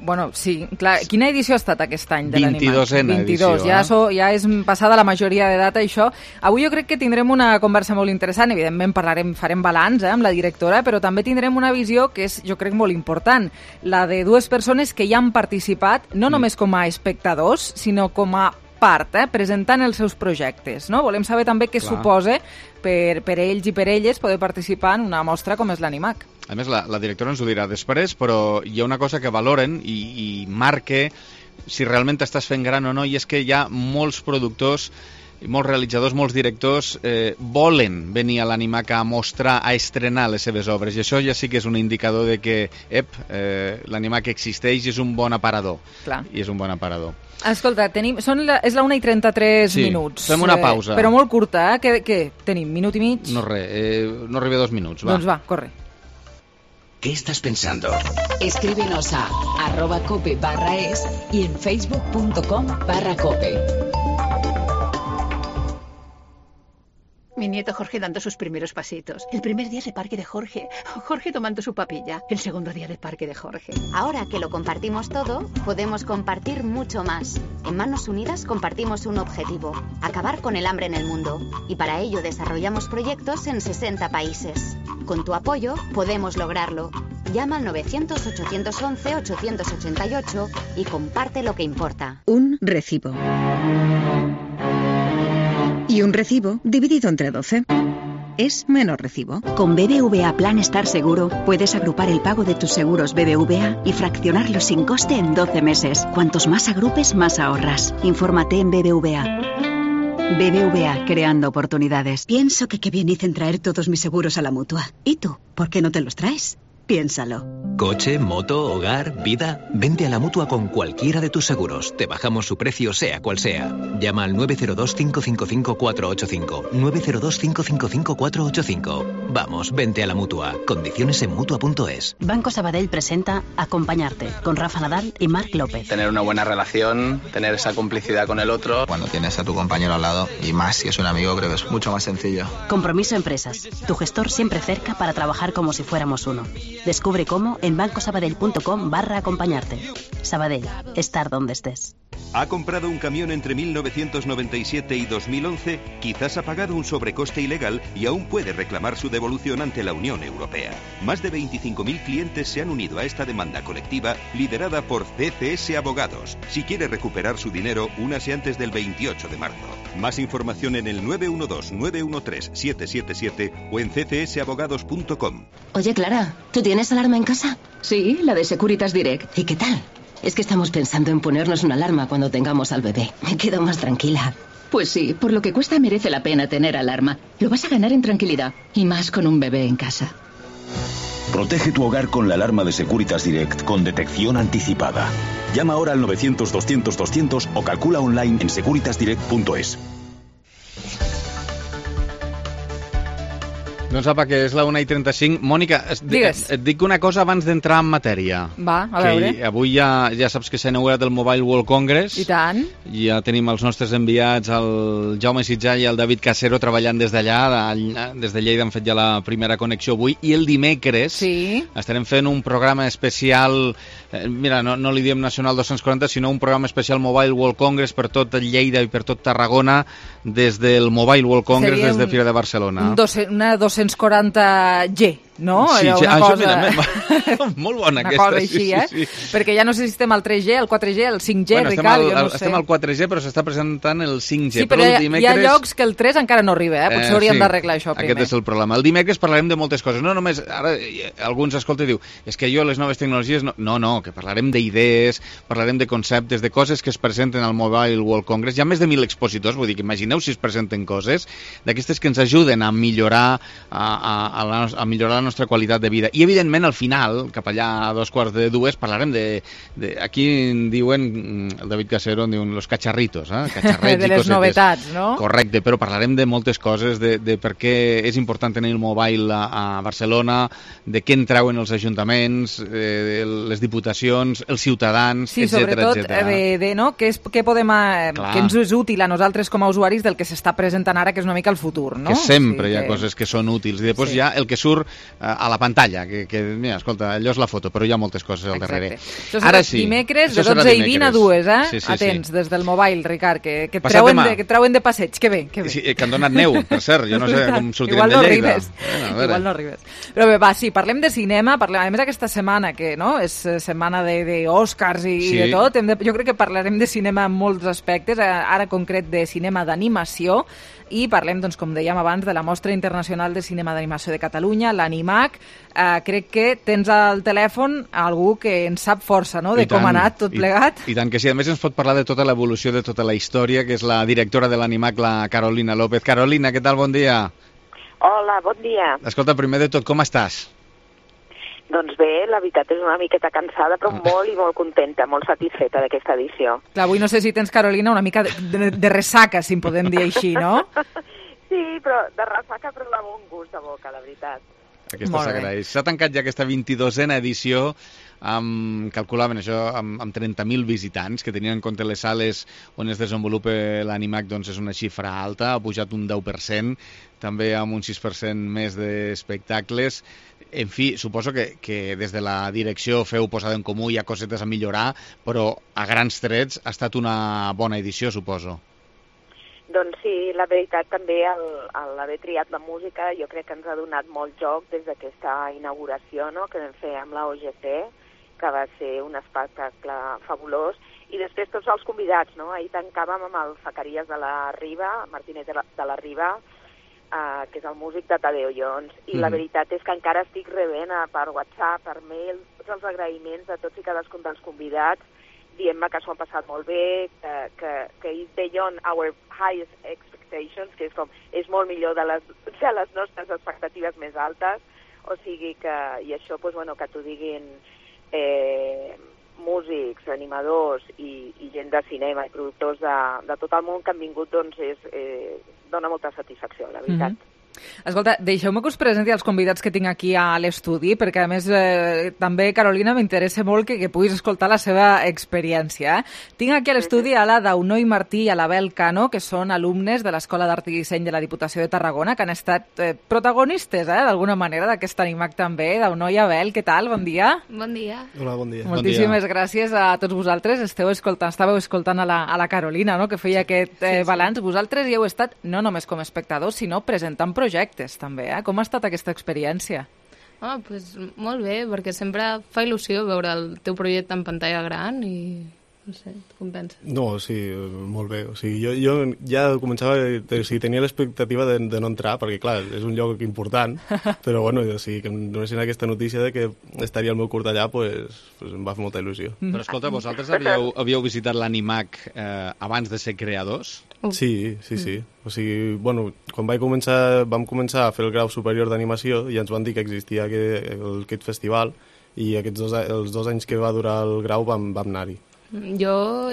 Bueno, sí, clar. Quina edició ha estat aquest any de l'Animac? 22a edició. Ja és passada la majoria d'edat, això. Avui jo crec que tindrem una conversa molt interessant. Evidentment farem balanç amb la directora, però també tindrem una visió que és, jo crec, molt important. La de 2 persones que ja han participat, no només com a espectadors, sinó com a part, presentant els seus projectes. No? Volem saber també què suposa per ells i per elles poder participar en una mostra com és l'Animac. A més, la directora ens ho dirà després, però hi ha una cosa que valoren i marca si realment estàs fent gran o no, i és que hi ha molts productors, molts realitzadors, molts directors volen venir a l'Animac a mostrar, a estrenar les seves obres, i això ja sí que és un indicador de que l'Animac existeix i és un bon aparador. Clar. I és un bon aparador. Escolta, és la 1:33 minuts. Fem una pausa. Però molt curta, Què tenim? Minut i mig? No res, no arriba a 2 minuts. Va. Doncs va, corre. ¿Qué estás pensando? Escríbenos a @cope.es y en facebook.com/cope. Mi nieto Jorge dando sus primeros pasitos. El primer día de parque de Jorge. Jorge tomando su papilla. El segundo día de parque de Jorge. Ahora que lo compartimos todo, podemos compartir mucho más. En Manos Unidas compartimos un objetivo: acabar con el hambre en el mundo. Y para ello desarrollamos proyectos en 60 países. Con tu apoyo podemos lograrlo. Llama al 900-811-888 y comparte lo que importa. Un recibo. Y un recibo dividido entre 12 es menos recibo. Con BBVA Plan Estar Seguro puedes agrupar el pago de tus seguros BBVA y fraccionarlos sin coste en 12 meses. Cuantos más agrupes, más ahorras. Infórmate en BBVA. BBVA, creando oportunidades. Pienso que qué bien hice en traer todos mis seguros a la Mutua. ¿Y tú? ¿Por qué no te los traes? Piénsalo. Coche, moto, hogar, vida. Vente a la Mutua con cualquiera de tus seguros. Te bajamos su precio sea cual sea. Llama al 902-555-485. 902-555-485. Vamos, vente a la Mutua. Condiciones en Mutua.es. Banco Sabadell presenta Acompañarte, con Rafa Nadal y Marc López. Tener una buena relación, tener esa complicidad con el otro. Cuando tienes a tu compañero al lado, y más si es un amigo, creo que es mucho más sencillo. Compromiso Empresas. Tu gestor siempre cerca para trabajar como si fuéramos uno. Descubre cómo en bancosabadell.com/acompañarte. Sabadell, estar donde estés. ¿Ha comprado un camión entre 1997 y 2011? Quizás ha pagado un sobrecoste ilegal y aún puede reclamar su devolución ante la Unión Europea. Más de 25.000 clientes se han unido a esta demanda colectiva liderada por CCS Abogados. Si quiere recuperar su dinero, únase antes del 28 de marzo. Más información en el 912-913-777 o en ccsabogados.com. Oye, Clara, ¿tú tienes alarma en casa? Sí, la de Securitas Direct. ¿Y qué tal? Es que estamos pensando en ponernos una alarma cuando tengamos al bebé. Me quedo más tranquila. Pues sí, por lo que cuesta merece la pena tener alarma. Lo vas a ganar en tranquilidad, y más con un bebé en casa. Protege tu hogar con la alarma de Securitas Direct con detección anticipada. Llama ahora al 900-200-200 o calcula online en securitasdirect.es. Doncs apa, que és la 1:35. Mònica, et dic una cosa abans d'entrar en matèria. Va, a veure. Que avui ja saps que s'ha inaugurat el Mobile World Congress. I tant. Ja tenim els nostres enviats, el Jaume Sitjà i el David Casero, treballant des d'allà. Des de Lleida han fet ja la primera connexió avui. I el dimecres estarem fent un programa especial, mira, no li diem Nacional 240, sinó un programa especial Mobile World Congress per tot Lleida i per tot Tarragona, des del Mobile World Congress, des de Fira de Barcelona. Una 240G, no? Sí, una això, cosa... mira, molt bona una aquesta. Cosa així, sí. Perquè ja no sé si estem al 3G, el 4G, el 5G, bueno, Ricard, jo no sé. Estem al 4G, però s'està presentant el 5G. Sí, però hi ha llocs que el 3 encara no arriba, potser hauríem d'arreglar això primer. Aquest és el problema. El dimecres parlarem de moltes coses. No només, ara algú ens escolta i diu, és que jo les noves tecnologies... No, que parlarem d'idees, parlarem de conceptes, de coses que es presenten al Mobile World Congress. Hi ha més de 1.000 expositors, vull dir que imagineu si es presenten coses d'aquestes que ens ajuden a millorar a millorar la nostra qualitat de vida. I, evidentment, al final, cap allà a 2:45, parlarem de aquí en diuen, el David Casero en diuen los cacharritos, cacharrets de les novetats, no? Correcte, però parlarem de moltes coses, de per què és important tenir el mobile a Barcelona, de què en treuen els ajuntaments, les diputacions, els ciutadans, sí, sobretot què podem... que ens és útil a nosaltres com a usuaris del que s'està presentant ara, que és una mica el futur, no? Que sempre hi ha coses que són útils. I després hi ha el que surt a la pantalla, que mira, escolta, allò és la foto, però hi ha moltes coses al darrere. Això serà dimecres, de 12:20 a 2, Atents, des del mobile, Ricard, que et treuen de passeig. Que bé. Sí, que han donat neu, per cert, jo no sé com sortirem de Lleida. Igual no arribes. Però bé, va, sí, parlem de cinema, a més aquesta setmana, que és setmana d'Oscars i de tot, jo crec que parlarem de cinema en molts aspectes, ara concret de cinema d'animació, i parlem, doncs, com dèiem abans, de la Mostra Internacional de Cinema d'Animació de Catalunya, l'Animac. Crec que tens al telèfon algú que en sap força, no?, de com ha anat tot plegat. I tant que sí. A més, ens pot parlar de tota l'evolució, de tota la història, que és la directora de l'Animac, la Carolina López. Carolina, què tal? Bon dia. Hola, bon dia. Escolta, primer de tot, com estàs? Doncs bé, la veritat és una miqueta cansada, però molt i molt contenta, molt satisfeta d'aquesta edició. Clar, avui no sé si tens, Carolina, una mica de ressaca, si en podem dir així, no? Sí, però de ressaca, però de bon gust de boca, la veritat. Aquesta s'agraeix. S'ha tancat ja aquesta 22a edició, calculaven això amb 30.000 visitants, que tenien en compte les sales on es desenvolupa l'Animac, doncs és una xifra alta, ha pujat un 10%, també amb un 6% més d'espectacles. En fi, suposo que des de la direcció feu posada en comú, hi ha cosetes a millorar, però a grans trets ha estat una bona edició, suposo. Doncs sí, la veritat també l'haver triat la música jo crec que ens ha donat molt joc des d'aquesta inauguració, no?, que vam fer amb la OGC, que va ser un espectacle fabulós, i després tots els convidats, no? Ahir tancàvem amb el Zacarías de la Riba, Martínez de la Riba, que és el músic de Tadeo Jones, i la veritat és que encara estic rebent per WhatsApp, per mail, tots els agraïments de tots i cadascun dels convidats, dient-me que s'ho han passat molt bé, que is beyond our highest expectations, que és molt millor de les nostres expectatives més altes. O sigui que, i això, doncs, bueno, que t'ho diguin músics, animadors i gent de cinema i productors de tot el món que han vingut, doncs dona molta satisfacció, la veritat. Escolta, deixeu-me que us presenti els convidats que tinc aquí a l'estudi, perquè a més també, Carolina, m'interessa molt que puguis escoltar la seva experiència. Tinc aquí a l'estudi a la Daunoi Martí i a l'Abel Cano, que són alumnes de l'Escola d'Art i Disseny de la Diputació de Tarragona, que han estat protagonistes, d'alguna manera, d'aquest Animac també. Daunoi i Abel, què tal? Bon dia. Bon dia. Hola, bon dia. Moltíssimes gràcies a tots vosaltres. Estàveu escoltant a la Carolina, no?, que feia aquest balanç. Vosaltres hi heu estat no només com a espectadors, sinó presentant projectes també, Com ha estat aquesta experiència? Pues molt bé, perquè sempre fa il·lusió veure el teu projecte en pantalla gran i no sé, com penses? No, sí, molt bé. O sigui, jo ja començava, tenia l'expectativa de no entrar, perquè clar, és un lloc important, però bueno, o sigui, que em donessin aquesta notícia de que estaria el meu curt allà, pues em va fer molta il·lusió. Però escolta, vosaltres havíeu visitat l'Animac abans de ser creadors? Sí. O sigui, bueno, quan vam començar a fer el grau superior d'animació i ens van dir que existia aquest festival i els 2 anys que va durar el grau vam anar-hi. Jo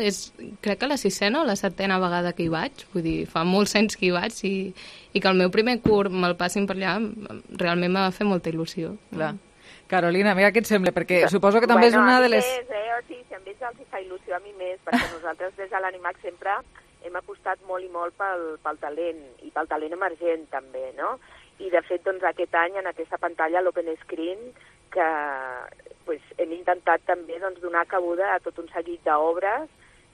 crec que la 6ena o la 7ena vegada que hi vaig, vull dir, fa molts anys que hi vaig i que el meu primer curt me'l passin per allà realment m'ha fet molta il·lusió. Clar. Carolina, mira què et sembla, perquè suposo que també és una de les... Sí, si a ells els fa il·lusió, a mi més, perquè nosaltres des de l'Animac sempre hem apostat molt i molt pel talent, i pel talent emergent també, no? I de fet, doncs, aquest any, en aquesta pantalla, l'Open Screen, que hem intentat també donar cabuda a tot un seguit d'obres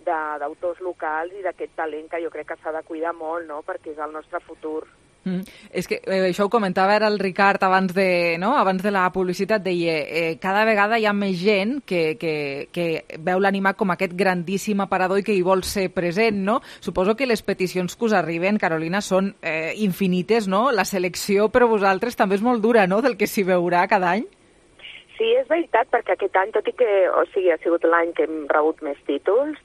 d'autors locals i d'aquest talent que jo crec que s'ha de cuidar molt, no?, perquè és el nostre futur. És que això ho comentava ara el Ricard abans de la publicitat, deia cada vegada hi ha més gent que veu l'Animac com aquest grandíssim aparador i que hi vol ser present, no? Suposo que les peticions que us arriben, Carolina, són infinites, no? La selecció per a vosaltres també és molt dura, no?, del que s'hi veurà cada any. Sí, és veritat, perquè aquest any, tot i que ha sigut l'any que hem rebut més títols,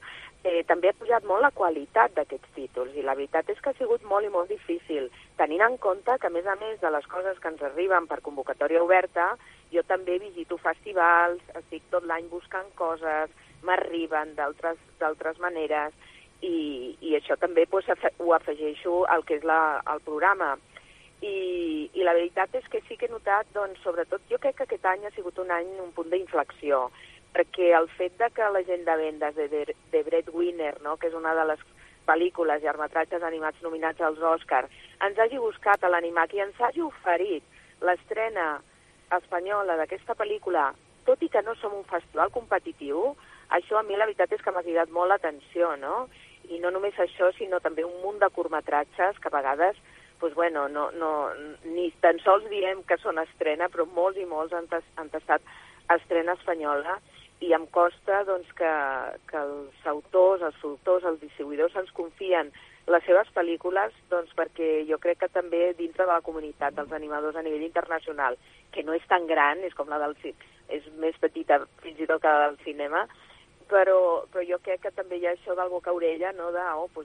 també ha pujat molt la qualitat d'aquests títols, i la veritat és que ha sigut molt i molt difícil, tenint en compte que, a més de les coses que ens arriben per convocatòria oberta, jo també visito festivals, estic tot l'any buscant coses, m'arriben d'altres maneres, i això també ho afegeixo al que és el programa. I la veritat és que sí que he notat, doncs, sobretot, jo crec que aquest any ha sigut un punt d'inflexió, perquè el fet de que la gent de vendes de Breadwinner, no?, que és una de les pel·lícules i llargmetratges animats nominats als Òscars, ens hagi buscat a l'Animac i ens hagi oferit l'estrena espanyola d'aquesta pel·lícula, tot i que no som un festival competitiu, això a mi la veritat és que m'ha cridat molt l'atenció, no? I no només això, sinó també un munt de curtmetratges que a vegades ni tan sols diem que són estrena, però molts i molts han estat estrena espanyola, i em costa que els autors, els productors, els distribuïdors ens confien les seves pel·lícules, perquè jo crec que també dintre de la comunitat dels animadors a nivell internacional, que no és tan gran, és com és més petita fins i tot que la del cinema, però jo crec que també hi ha això del boca a orella, no?,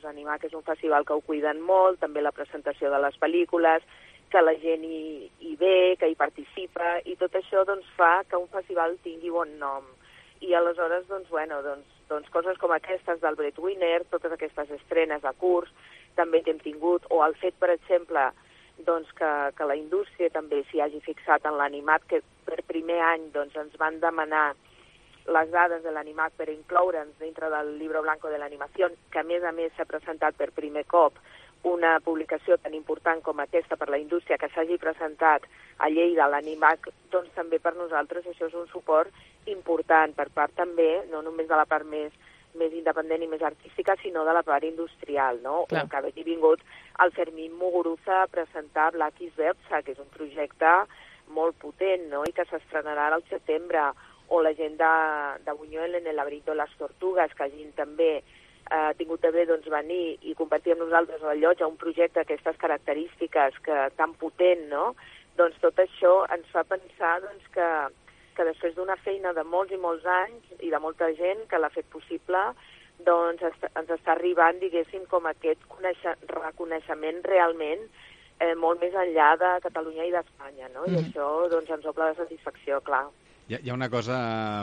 Animac és un festival que ho cuiden molt, també la presentació de les pel·lícules, que la gent hi ve, que hi participa, i tot això fa que un festival tingui bon nom. I aleshores, coses com aquestes del Breadwinner, totes aquestes estrenes de curs també que hem tingut, o el fet, per exemple, que la indústria també s'hi hagi fixat en l'Animac, que per primer any ens van demanar les dades de l'Animac per incloure'ns dintre del Libro Blanco de l'Animació, que a més s'ha presentat per primer cop una publicació tan important com aquesta per la indústria, que s'hagi presentat a Lleida l'Animac, també per nosaltres això és un suport important per part també, no només de la part més independent i més artística, sinó de la part industrial, no? Clar. O que hagi vingut el Fermín Muguruza a presentar Black is Berza, que és un projecte molt potent, no?, i que s'estrenarà al setembre, o la gent de Buñuel en el laberinto de les tortugues, que hagin també tingut també venir i compartir amb nosaltres el lloc a un projecte d'aquestes característiques tan potent, no? Tot això ens fa pensar que després d'una feina de molts i molts anys i de molta gent que l'ha fet possible, ens està arribant, diguéssim, com aquest reconeixement realment molt més enllà de Catalunya i d'Espanya, no? I això doncs, ens omple de satisfacció, clar. Hi ha una cosa,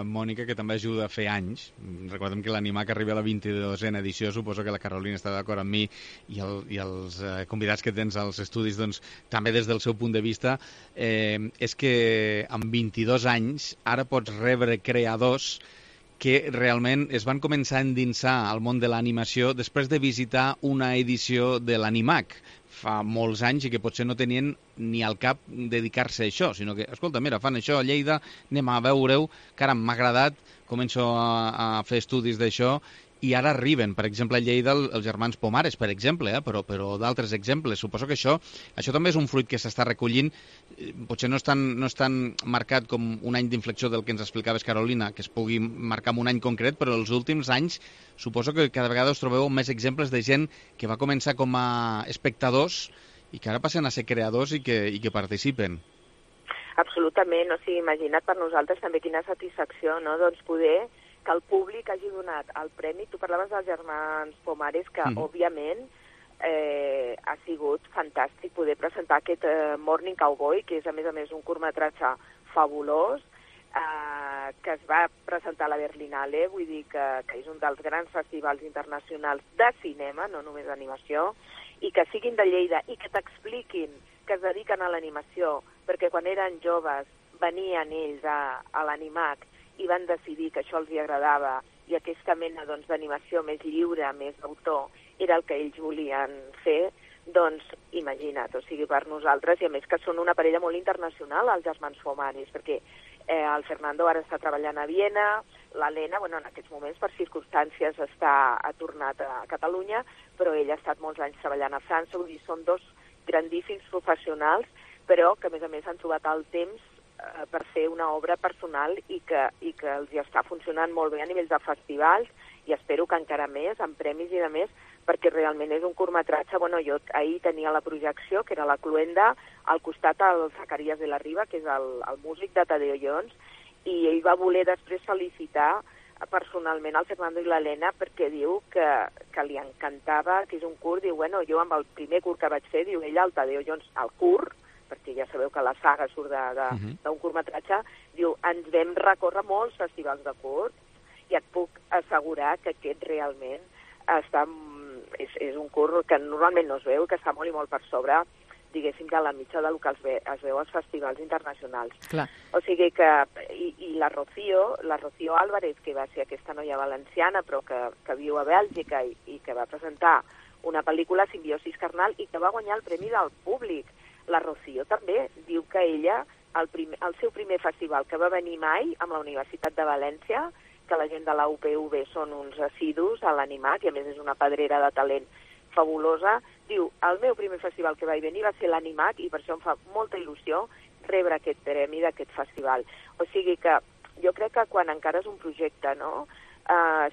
Mònica, que també ajuda a fer anys. Recordem que l'Animac arriba a la 22a edició, suposo que la Carolina està d'acord amb mi i els convidats que tens als estudis, doncs, també des del seu punt de vista, és que amb 22 anys ara pots rebre creadors que realment es van començar a endinsar al món de l'animació després de visitar una edició de l'Animac fa molts anys i que potser no tenien ni al cap dedicar-se a això, sinó que, escolta, mira, fan això a Lleida, anem a veure-ho, caram, m'ha agradat, començo a fer estudis d'això, i ara arriben, per exemple, a Lleida els germans Pomares, per exemple, però d'altres exemples. Suposo que això també és un fruit que s'està recollint, potser no és tan marcat com un any d'inflexió del que ens explicaves, Carolina, que es pugui marcar en un any concret, però els últims anys suposo que cada vegada us trobeu més exemples de gent que va començar com a espectadors i que ara passen a ser creadors i que participen. Absolutament, o sigui, imagina't per nosaltres també quina satisfacció, no?, doncs poder que el públic hagi donat el premi. Tu parlaves dels germans Pomares, que òbviament ha sigut fantàstic poder presentar aquest Morning Cowboy, que és a més un curtmetratge fabulós, que es va presentar a la Berlinale, vull dir que és un dels grans festivals internacionals de cinema, no només d'animació, i que siguin de Lleida i que t'expliquin que es dediquen a l'animació, perquè quan eren joves venien ells a l'Animac i van decidir que això els hi agradava i aquesta mena d'animació més lliure, més d'autor, era el que ells volien fer, doncs imagina't, o sigui, per nosaltres, i a més que són una parella molt internacional, els germans Pomares, perquè el Fernando ara està treballant a Viena, l'Helena, bueno, en aquests moments per circumstàncies ha tornat a Catalunya, però ell ha estat molts anys treballant a França, vull dir, són dos grandíssims professionals, però que a més han trobat el temps per fer una obra personal i que els hi està funcionant molt bé a nivell de festivals i espero que encara més, amb premis i de més, perquè realment és un curtmetratge. Bueno, jo ahir tenia la projecció, que era la Cluenda, al costat el Zacarías de la Riva, que és el músic de Tadeo Jones, i ell va voler després felicitar personalment el Fernando i l'Helena perquè diu que li encantava, que és un curt, diu, bueno, jo amb el primer curt que vaig fer, diu ella, el Tadeo Jones, el curt, perquè ja sabeu que la saga surt d'un curtmetratge, diu, ens vam recórrer molts festivals de curts i et puc assegurar que aquest realment és un curt que normalment no es veu, que està molt i molt per sobre, diguéssim, de la mitja del que es veu als festivals internacionals. Clar. O sigui que, i la Rocío Álvarez, que va ser aquesta noia valenciana, però que viu a Bèlgica i que va presentar una pel·lícula, Simbiosis Carnal, i que va guanyar el Premi del Públic. La Rocío també diu que ella, el seu primer festival que va venir mai amb la Universitat de València, que la gent de la UPV són uns assidus a l'Animac, i a més és una pedrera de talent fabulosa, diu, el meu primer festival que vaig venir va ser l'Animac i per això em fa molta il·lusió rebre aquest premi d'aquest festival. O sigui que jo crec que quan encara és un projecte, no?,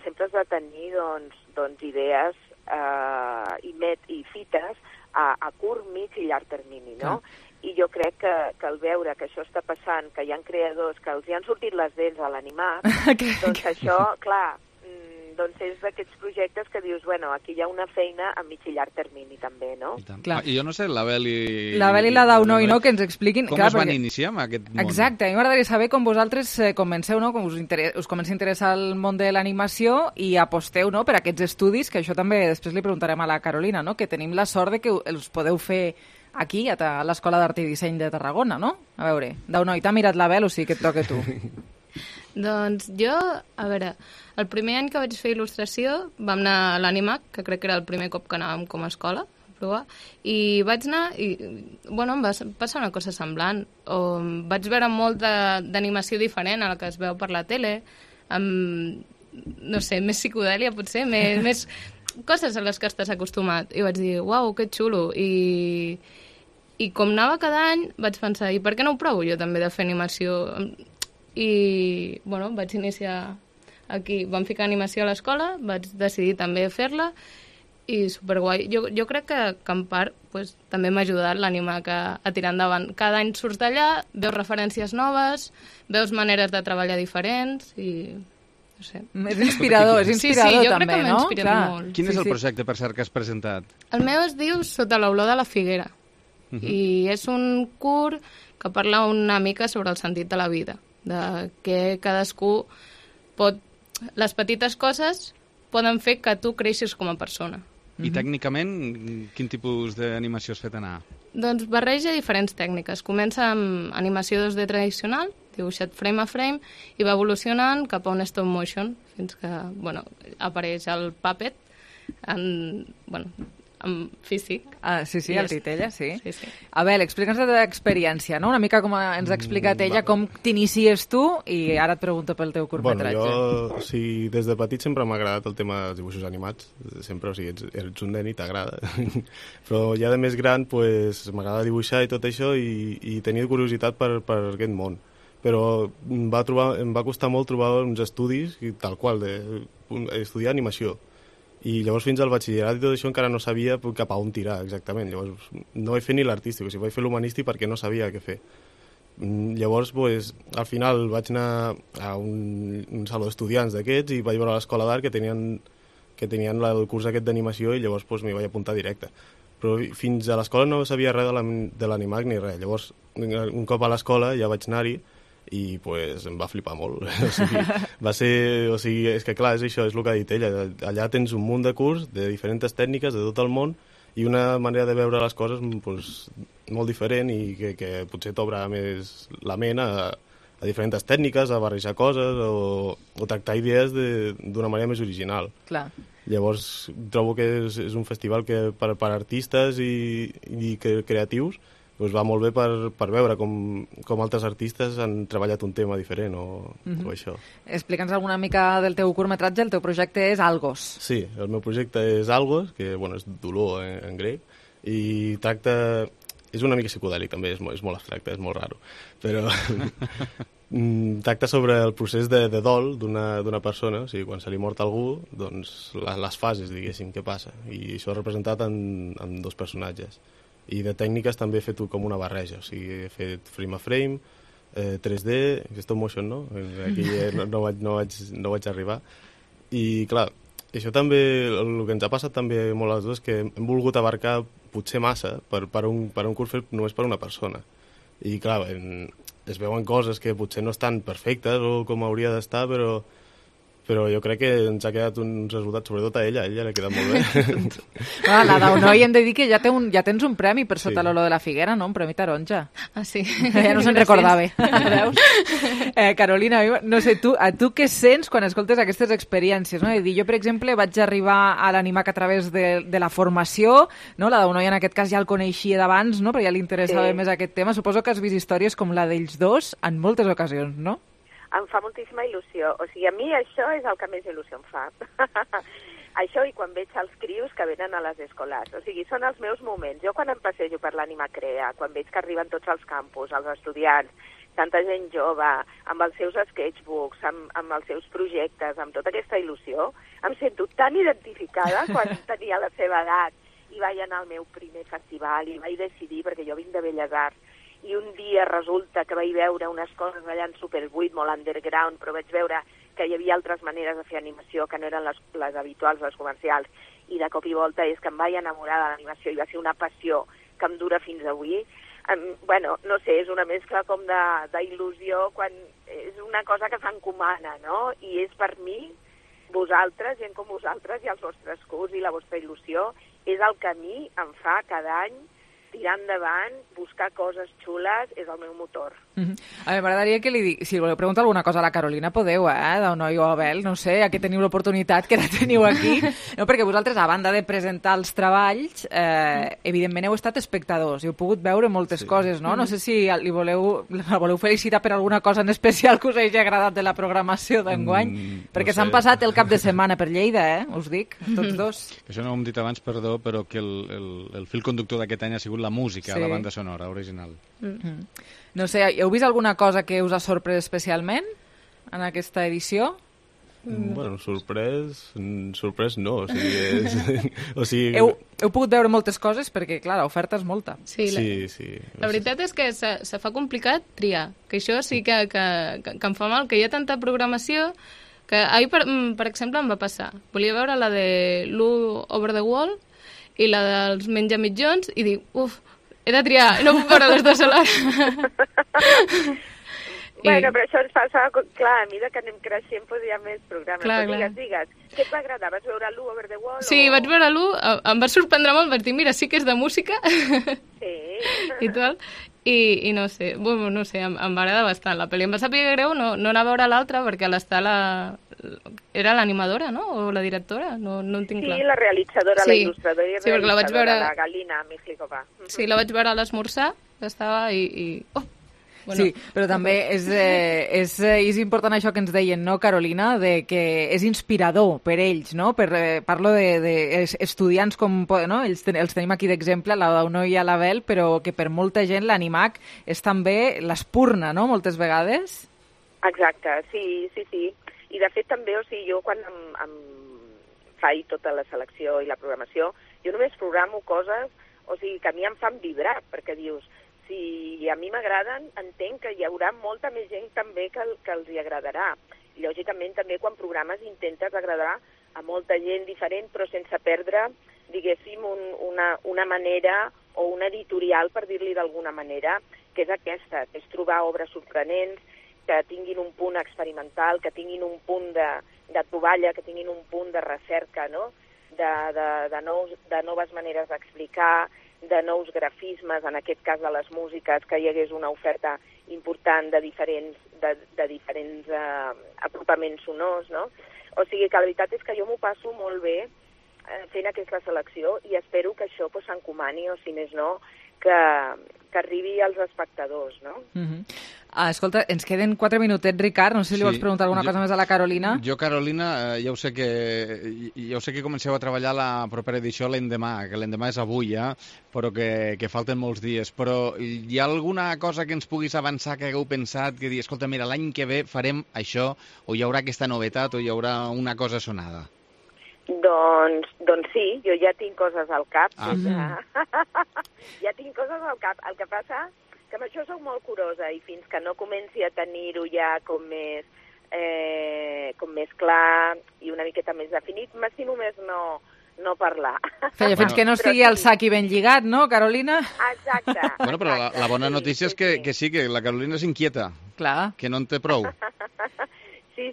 sempre has de tenir doncs idees i fites a curt, mig i llarg termini, no? I jo crec que al veure que això està passant, que hi ha creadors que els hi han sortit les dents a l'Animac, doncs això, clar, doncs és d'aquests projectes que dius, bueno, aquí hi ha una feina a mig i llarg termini també, no? I jo no sé, l'Abel i la Daunoi, no?, que ens expliquin... Com es van iniciar en aquest món? Exacte, a mi m'agradaria saber com vosaltres comenceu, no?, com us comença a interessar el món de l'animació i aposteu, no?, per aquests estudis, que això també després li preguntarem a la Carolina, no?, que tenim la sort de que els podeu fer aquí, a l'Escola d'Art i Disseny de Tarragona, no? A veure, Daunoi, t'ha mirat l'Abel, o sigui que et toca tu. Doncs jo, a veure, el primer any que vaig fer il·lustració vam anar a l'Animac, que crec que era el primer cop que anàvem com a escola a provar, i vaig anar i, bueno, em va passar una cosa semblant. Vaig veure molt d'animació diferent a la que es veu per la tele, amb, no sé, més psicodèlia potser, més coses a les que estàs acostumat. I vaig dir, uau, que xulo. I com anava cada any vaig pensar, i per què no ho provo jo també de fer animació? I, bueno, vaig iniciar aquí. Vam ficar animació a l'escola, vaig decidir també fer-la i superguai. Jo crec que en part pues, també m'ha ajudat l'Animac a tirar endavant. Cada any surts d'allà, veus referències noves, veus maneres de treballar diferents i... no sé. És inspirador, sí, també, jo crec que m'ha inspirat molt. Quin és el projecte, per cert, que has presentat? El meu es diu Sota l'olor de la figuera. I és un curt que parla una mica sobre el sentit de la vida, de que cadascú pot... Les petites coses poden fer que tu creixis com a persona. I tècnicament, quin tipus d'animació has fet anar? Doncs barreja diferents tècniques. Comença amb animació 2D tradicional, dibuixat frame a frame, i va evolucionant cap a un stop motion, fins que apareix el puppet en físic. Sí, el Titella, sí. Abel, explica'ns la teva experiència, no? Una mica com ens ha explicat ella, com t'inicies tu, i ara et pregunto pel teu curtmetratge. Jo, des de petit sempre m'ha agradat el tema dels dibuixos animats, sempre, ets un nen i t'agrada. Però ja de més gran, m'agrada dibuixar i tot això, i tenia curiositat per aquest món. Però em va costar molt trobar uns estudis, tal qual, estudiar animació. I llavors fins al batxillerat i tot això encara no sabia cap a on tirar exactament. Llavors no vaig fer ni l'artístic, vaig fer l'humanístic perquè no sabia què fer. Llavors, al final vaig anar a un saló d'estudiants d'aquests i vaig veure l'escola d'art que tenien el curs aquest d'animació, i llavors m'hi vaig apuntar directe. Però fins a l'escola no sabia res de l'animac ni res. Llavors, un cop a l'escola ja vaig anar-hi i em va flipar molt. És que clar, és això, és el que ha dit ella. Allà tens un munt de curs de diferents tècniques de tot el món i una manera de veure les coses molt diferent, i que potser t'obre més la ment a diferents tècniques, a barrejar coses o tractar idees d'una manera més original. Clar. Llavors trobo que és un festival que per artistes i creatius va molt bé per veure com altres artistes han treballat un tema diferent o això. Explica'ns alguna mica del teu curtmetratge. El teu projecte és Algos. Sí, el meu projecte és Algos, que és dolor en grec, i tracta... És una mica psicodèlic també, és molt abstracte, és molt raro, però tracta sobre el procés de dol d'una persona, o sigui, quan se li mort algú, doncs les fases, diguéssim, què passa, i això és representat en dos personatges. I de tècniques també he fet com una barreja, o sigui, he fet frame a frame, 3D, stop motion no, aquí no vaig arribar, i clar, això també, el que ens ha passat també molt a les dues, que hem volgut abarcar potser massa per un curs fet només per una persona, i clar, es veuen coses que potser no estan perfectes o com hauria d'estar, però jo crec que ens ha quedat un resultat, sobretot a ella l'ha quedat molt bé. La Daunoi hem de dir que ja tens un premi per sota l'olor de la figuera, no? Un premi taronja. Ah, sí. Ja no se'n recordava. Veus? Carolina, no sé, a tu què sents quan escoltes aquestes experiències? No? Jo, per exemple, vaig arribar a l'Animac a través de la formació, no? La Daunoi en aquest cas ja el coneixia d'abans, no? Però ja li interessava més aquest tema. Suposo que has vist històries com la d'ells dos en moltes ocasions, no? Em fa moltíssima il·lusió. O sigui, a mi això és el que més il·lusió em fa. Això i quan veig els crios que venen a les escolars. O sigui, són els meus moments. Jo quan em passejo per l'Ànima Crea, quan veig que arriben tots els campus, els estudiants, tanta gent jove, amb els seus sketchbooks, amb els seus projectes, amb tota aquesta il·lusió, em sento tan identificada quan tenia la seva edat i vaig anar al meu primer festival i vaig decidir, perquè jo vinc de Belles Arts, i un dia resulta que vaig veure unes coses allà en Super8, molt underground, però vaig veure que hi havia altres maneres de fer animació que no eren les habituals, les comercials, i de cop i volta és que em vaig enamorar de l'animació i va ser una passió que em dura fins avui. No sé, és una mescla com d'il·lusió, quan és una cosa que s'encomana, no? I és per mi, vosaltres, gent com vosaltres i els vostres curs i la vostra il·lusió, és el que a mi em fa cada any tirar endavant, buscar coses xules, és el meu motor. A mi m'agradaria que li dic, si voleu preguntar alguna cosa a la Carolina, podeu, Daunoi o Abel, no sé, aquí teniu l'oportunitat, que la teniu aquí, no, perquè vosaltres, a banda de presentar els treballs, evidentment heu estat espectadors i heu pogut veure moltes coses, no? No sé si la voleu felicitar per alguna cosa en especial que us hagi agradat de la programació d'enguany, perquè s'han passat el cap de setmana per Lleida, us dic, tots dos. Això no ho hem dit abans, perdó, però que el fil conductor d'aquest any ha sigut la música, la banda sonora original. No sé, heu vist alguna cosa que us ha sorprès especialment en aquesta edició? Bueno, sorprès no, o sigui... Heu pogut veure moltes coses perquè, clar, l'oferta és molta. Sí. La veritat és que se fa complicat triar, que això sí que em fa mal, que hi ha tanta programació que ahir, per exemple, em va passar. Volia veure la de Lou Over the Wall i la dels Menjamitjons i dic, he de triar, no puc veure les dues alhora. Bueno, però això ens passa, clar, a mesura que anem creixent, doncs hi ha més programes. Clar, però digues, què et va agradar? Vas veure l'1 Over the Wall? Sí, vaig veure l'1, em va sorprendre molt, vaig dir, mira, sí que és de música. Sí. I tal. I no sé, bueno, no sé, em va agradar bastant. La pel·li em va saber greu no anar a veure l'altra, perquè era l'animadora, no? O la directora? No en tinc clar. Sí, la realitzadora, la il·lustradora i perquè la vaig veure... la Galina Mijlikova. Sí, la vaig veure a l'esmorzar, que estava i... Oh! Bueno. Sí, però també és important això que ens deien, no, Carolina, de que és inspirador per ells, no? Parlo de estudiants com... No? Els tenim aquí d'exemple, la Dauno i l'Abel, però que per molta gent l'Animac és també l'espurna, no?, moltes vegades. Exacte, sí. I de fet també, o sigui, jo quan em faig tota la selecció i la programació, jo només programo coses, o sigui, que a mi em fan vibrar, perquè dius... Si a mi m'agraden, entenc que hi haurà molta més gent també que els hi agradarà. I, lògicament, també quan programes intentes agradar a molta gent diferent, però sense perdre, diguéssim, una manera o un editorial, per dir-li d'alguna manera, que és aquesta, que és trobar obres sorprenents, que tinguin un punt experimental, que tinguin un punt de troballa, que tinguin un punt de recerca, no?, de noves maneres d'explicar, de nous grafismes, en aquest cas de les músiques, que hi hagués una oferta important de diferents apropaments sonors, no? O sigui que la veritat és que jo m'ho passo molt bé fent aquesta selecció i espero que això s'encomani, o si més no, que arribi als espectadors, no? Escolta, ens queden 4 minutets, Ricard. No sé si li vols preguntar alguna cosa més a la Carolina. Jo, Carolina, ja ho sé que comenceu a treballar la propera edició l'endemà, que l'endemà és avui, però que falten molts dies. Però hi ha alguna cosa que ens puguis avançar, que hagueu pensat, que dir, escolta, mira, l'any que ve farem això, o hi haurà aquesta novetat, o hi haurà una cosa sonada? Doncs sí, jo ja tinc coses al cap. Ja tinc coses al cap. El que passa que amb això soc molt curosa i fins que no comenci a tenir-ho ja com més clar i una miqueta més definit, m'estimo més no parlar. Fins que no estigui el sac ben lligat, no, Carolina? Exacte. Bueno, però la bona notícia és que sí, que la Carolina s'inquieta. Clar. Que no en té prou. Sí.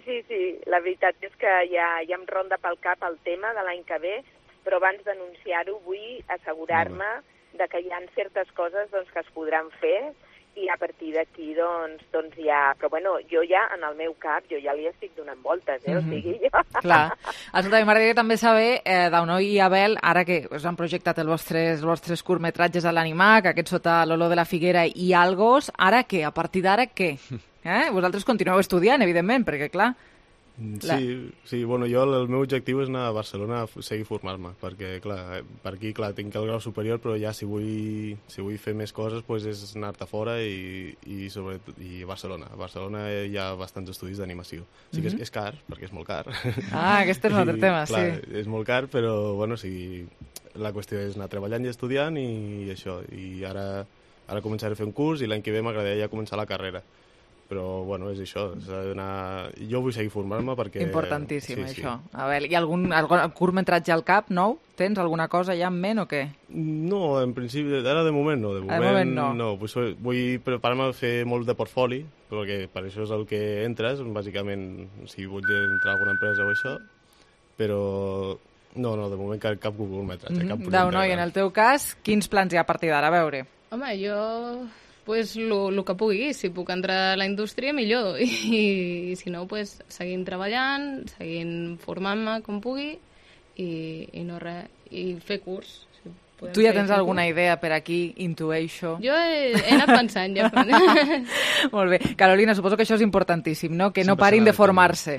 La veritat és que ja em ronda pel cap el tema de l'any que ve, però abans d'anunciar-ho vull assegurar-me de que hi ha certes coses que es podran fer i a partir d'aquí doncs ja... Però bueno, jo ja, en el meu cap, jo ja li estic donant voltes, o sigui, jo... Clar. Escolta, m'agradaria també saber, Dauno i Abel, ara que us han projectat els vostres curtmetratges a l'Animac, aquest sota l'olor de la figuera i Algos, ara què? A partir d'ara què? Vosaltres continueu estudiant, evidentment, perquè clar... Sí, bueno, jo el meu objectiu és anar a Barcelona a seguir formar-me, perquè clar, per aquí tinc el grau superior, però ja si vull fer més coses doncs és anar-te fora i sobretot a Barcelona. A Barcelona hi ha bastants estudis d'animació. Sí que és car, perquè és molt car. Aquest és un altre tema, sí. És molt car, però bueno, sí, la qüestió és anar treballant i estudiant i això. I ara començaré a fer un curs i l'any que ve m'agradaria ja començar la carrera. Però, bueno, és això, s'ha d'anar... Jo vull seguir formant-me perquè... Importantíssim, això. A veure, hi ha algun curtmetratge al cap, nou? Tens alguna cosa ja en ment o què? No, en principi, ara de moment no. De moment no. Vull preparar-me a fer molt de portfoli, perquè per això és el que entres, bàsicament, si vull entrar a alguna empresa o això, però... No, de moment cap curtmetratge, cap projecte. Dauno, i en el teu cas, quins plans hi ha a partir d'ara? A veure. Home, jo... pues el que pugui, si puc entrar a la indústria millor i si no, pues seguint treballant, seguint formant-me com pugui i no res, i fer curs. Si tu ja tens alguna idea per aquí, intueixo? Jo he anat pensant ja. Molt bé. Carolina, suposo que això és importantíssim, no? Que no parin de formar-se.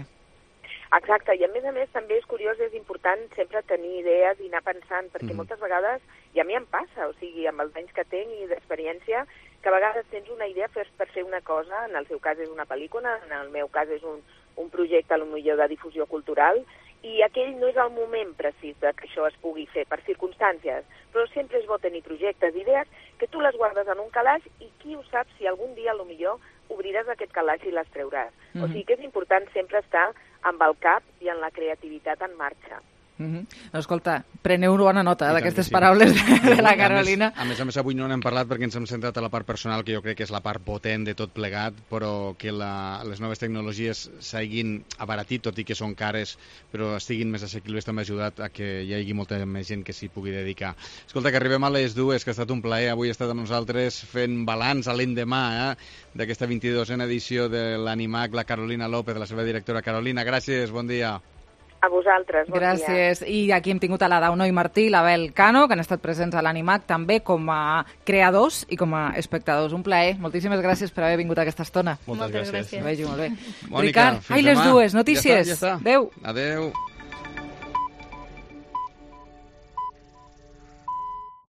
Exacte, i a més també és curiós, és important sempre tenir idees i anar pensant, perquè moltes vegades, i a mi em passa, o sigui, amb els anys que tinc i d'experiència, que a vegades tens una idea per fer una cosa, en el seu cas és una pel·lícula, en el meu cas és un projecte potser de difusió cultural, i aquell no és el moment precís que això es pugui fer, per circumstàncies, però sempre és bo tenir projectes, idees, que tu les guardes en un calaix i qui ho sap si algun dia potser obriràs aquest calaix i les treuràs. O sigui que és important sempre estar amb el cap i en la creativitat en marxa. No, escolta, preneu bona nota d'aquestes paraules de la Carolina. A més, avui no n'hem parlat perquè ens hem centrat a la part personal, que jo crec que és la part potent de tot plegat, però que les noves tecnologies s'hagin abaratit, tot i que són cares, però estiguin més assequibles, també ha ajudat a que hi hagi molta més gent que s'hi pugui dedicar. Escolta, que arribem a les 2, que ha estat un plaer avui estar amb nosaltres fent balanç a l'endemà d'aquesta 22a edició de l'Animac, la Carolina López, la seva directora. Carolina, gràcies, bon dia. A vosaltres, bon dia. Gràcies. I aquí hem tingut a la Dauno i Martí i l'Abel Cano, que han estat presents a l'Animac també com a creadors i com a espectadors. Un plaer. Moltíssimes gràcies per haver vingut aquesta estona. Moltes gràcies. Vegi molt bé. Mònica, Ricard, les 2, notícies. Ja està. Adéu. Adéu.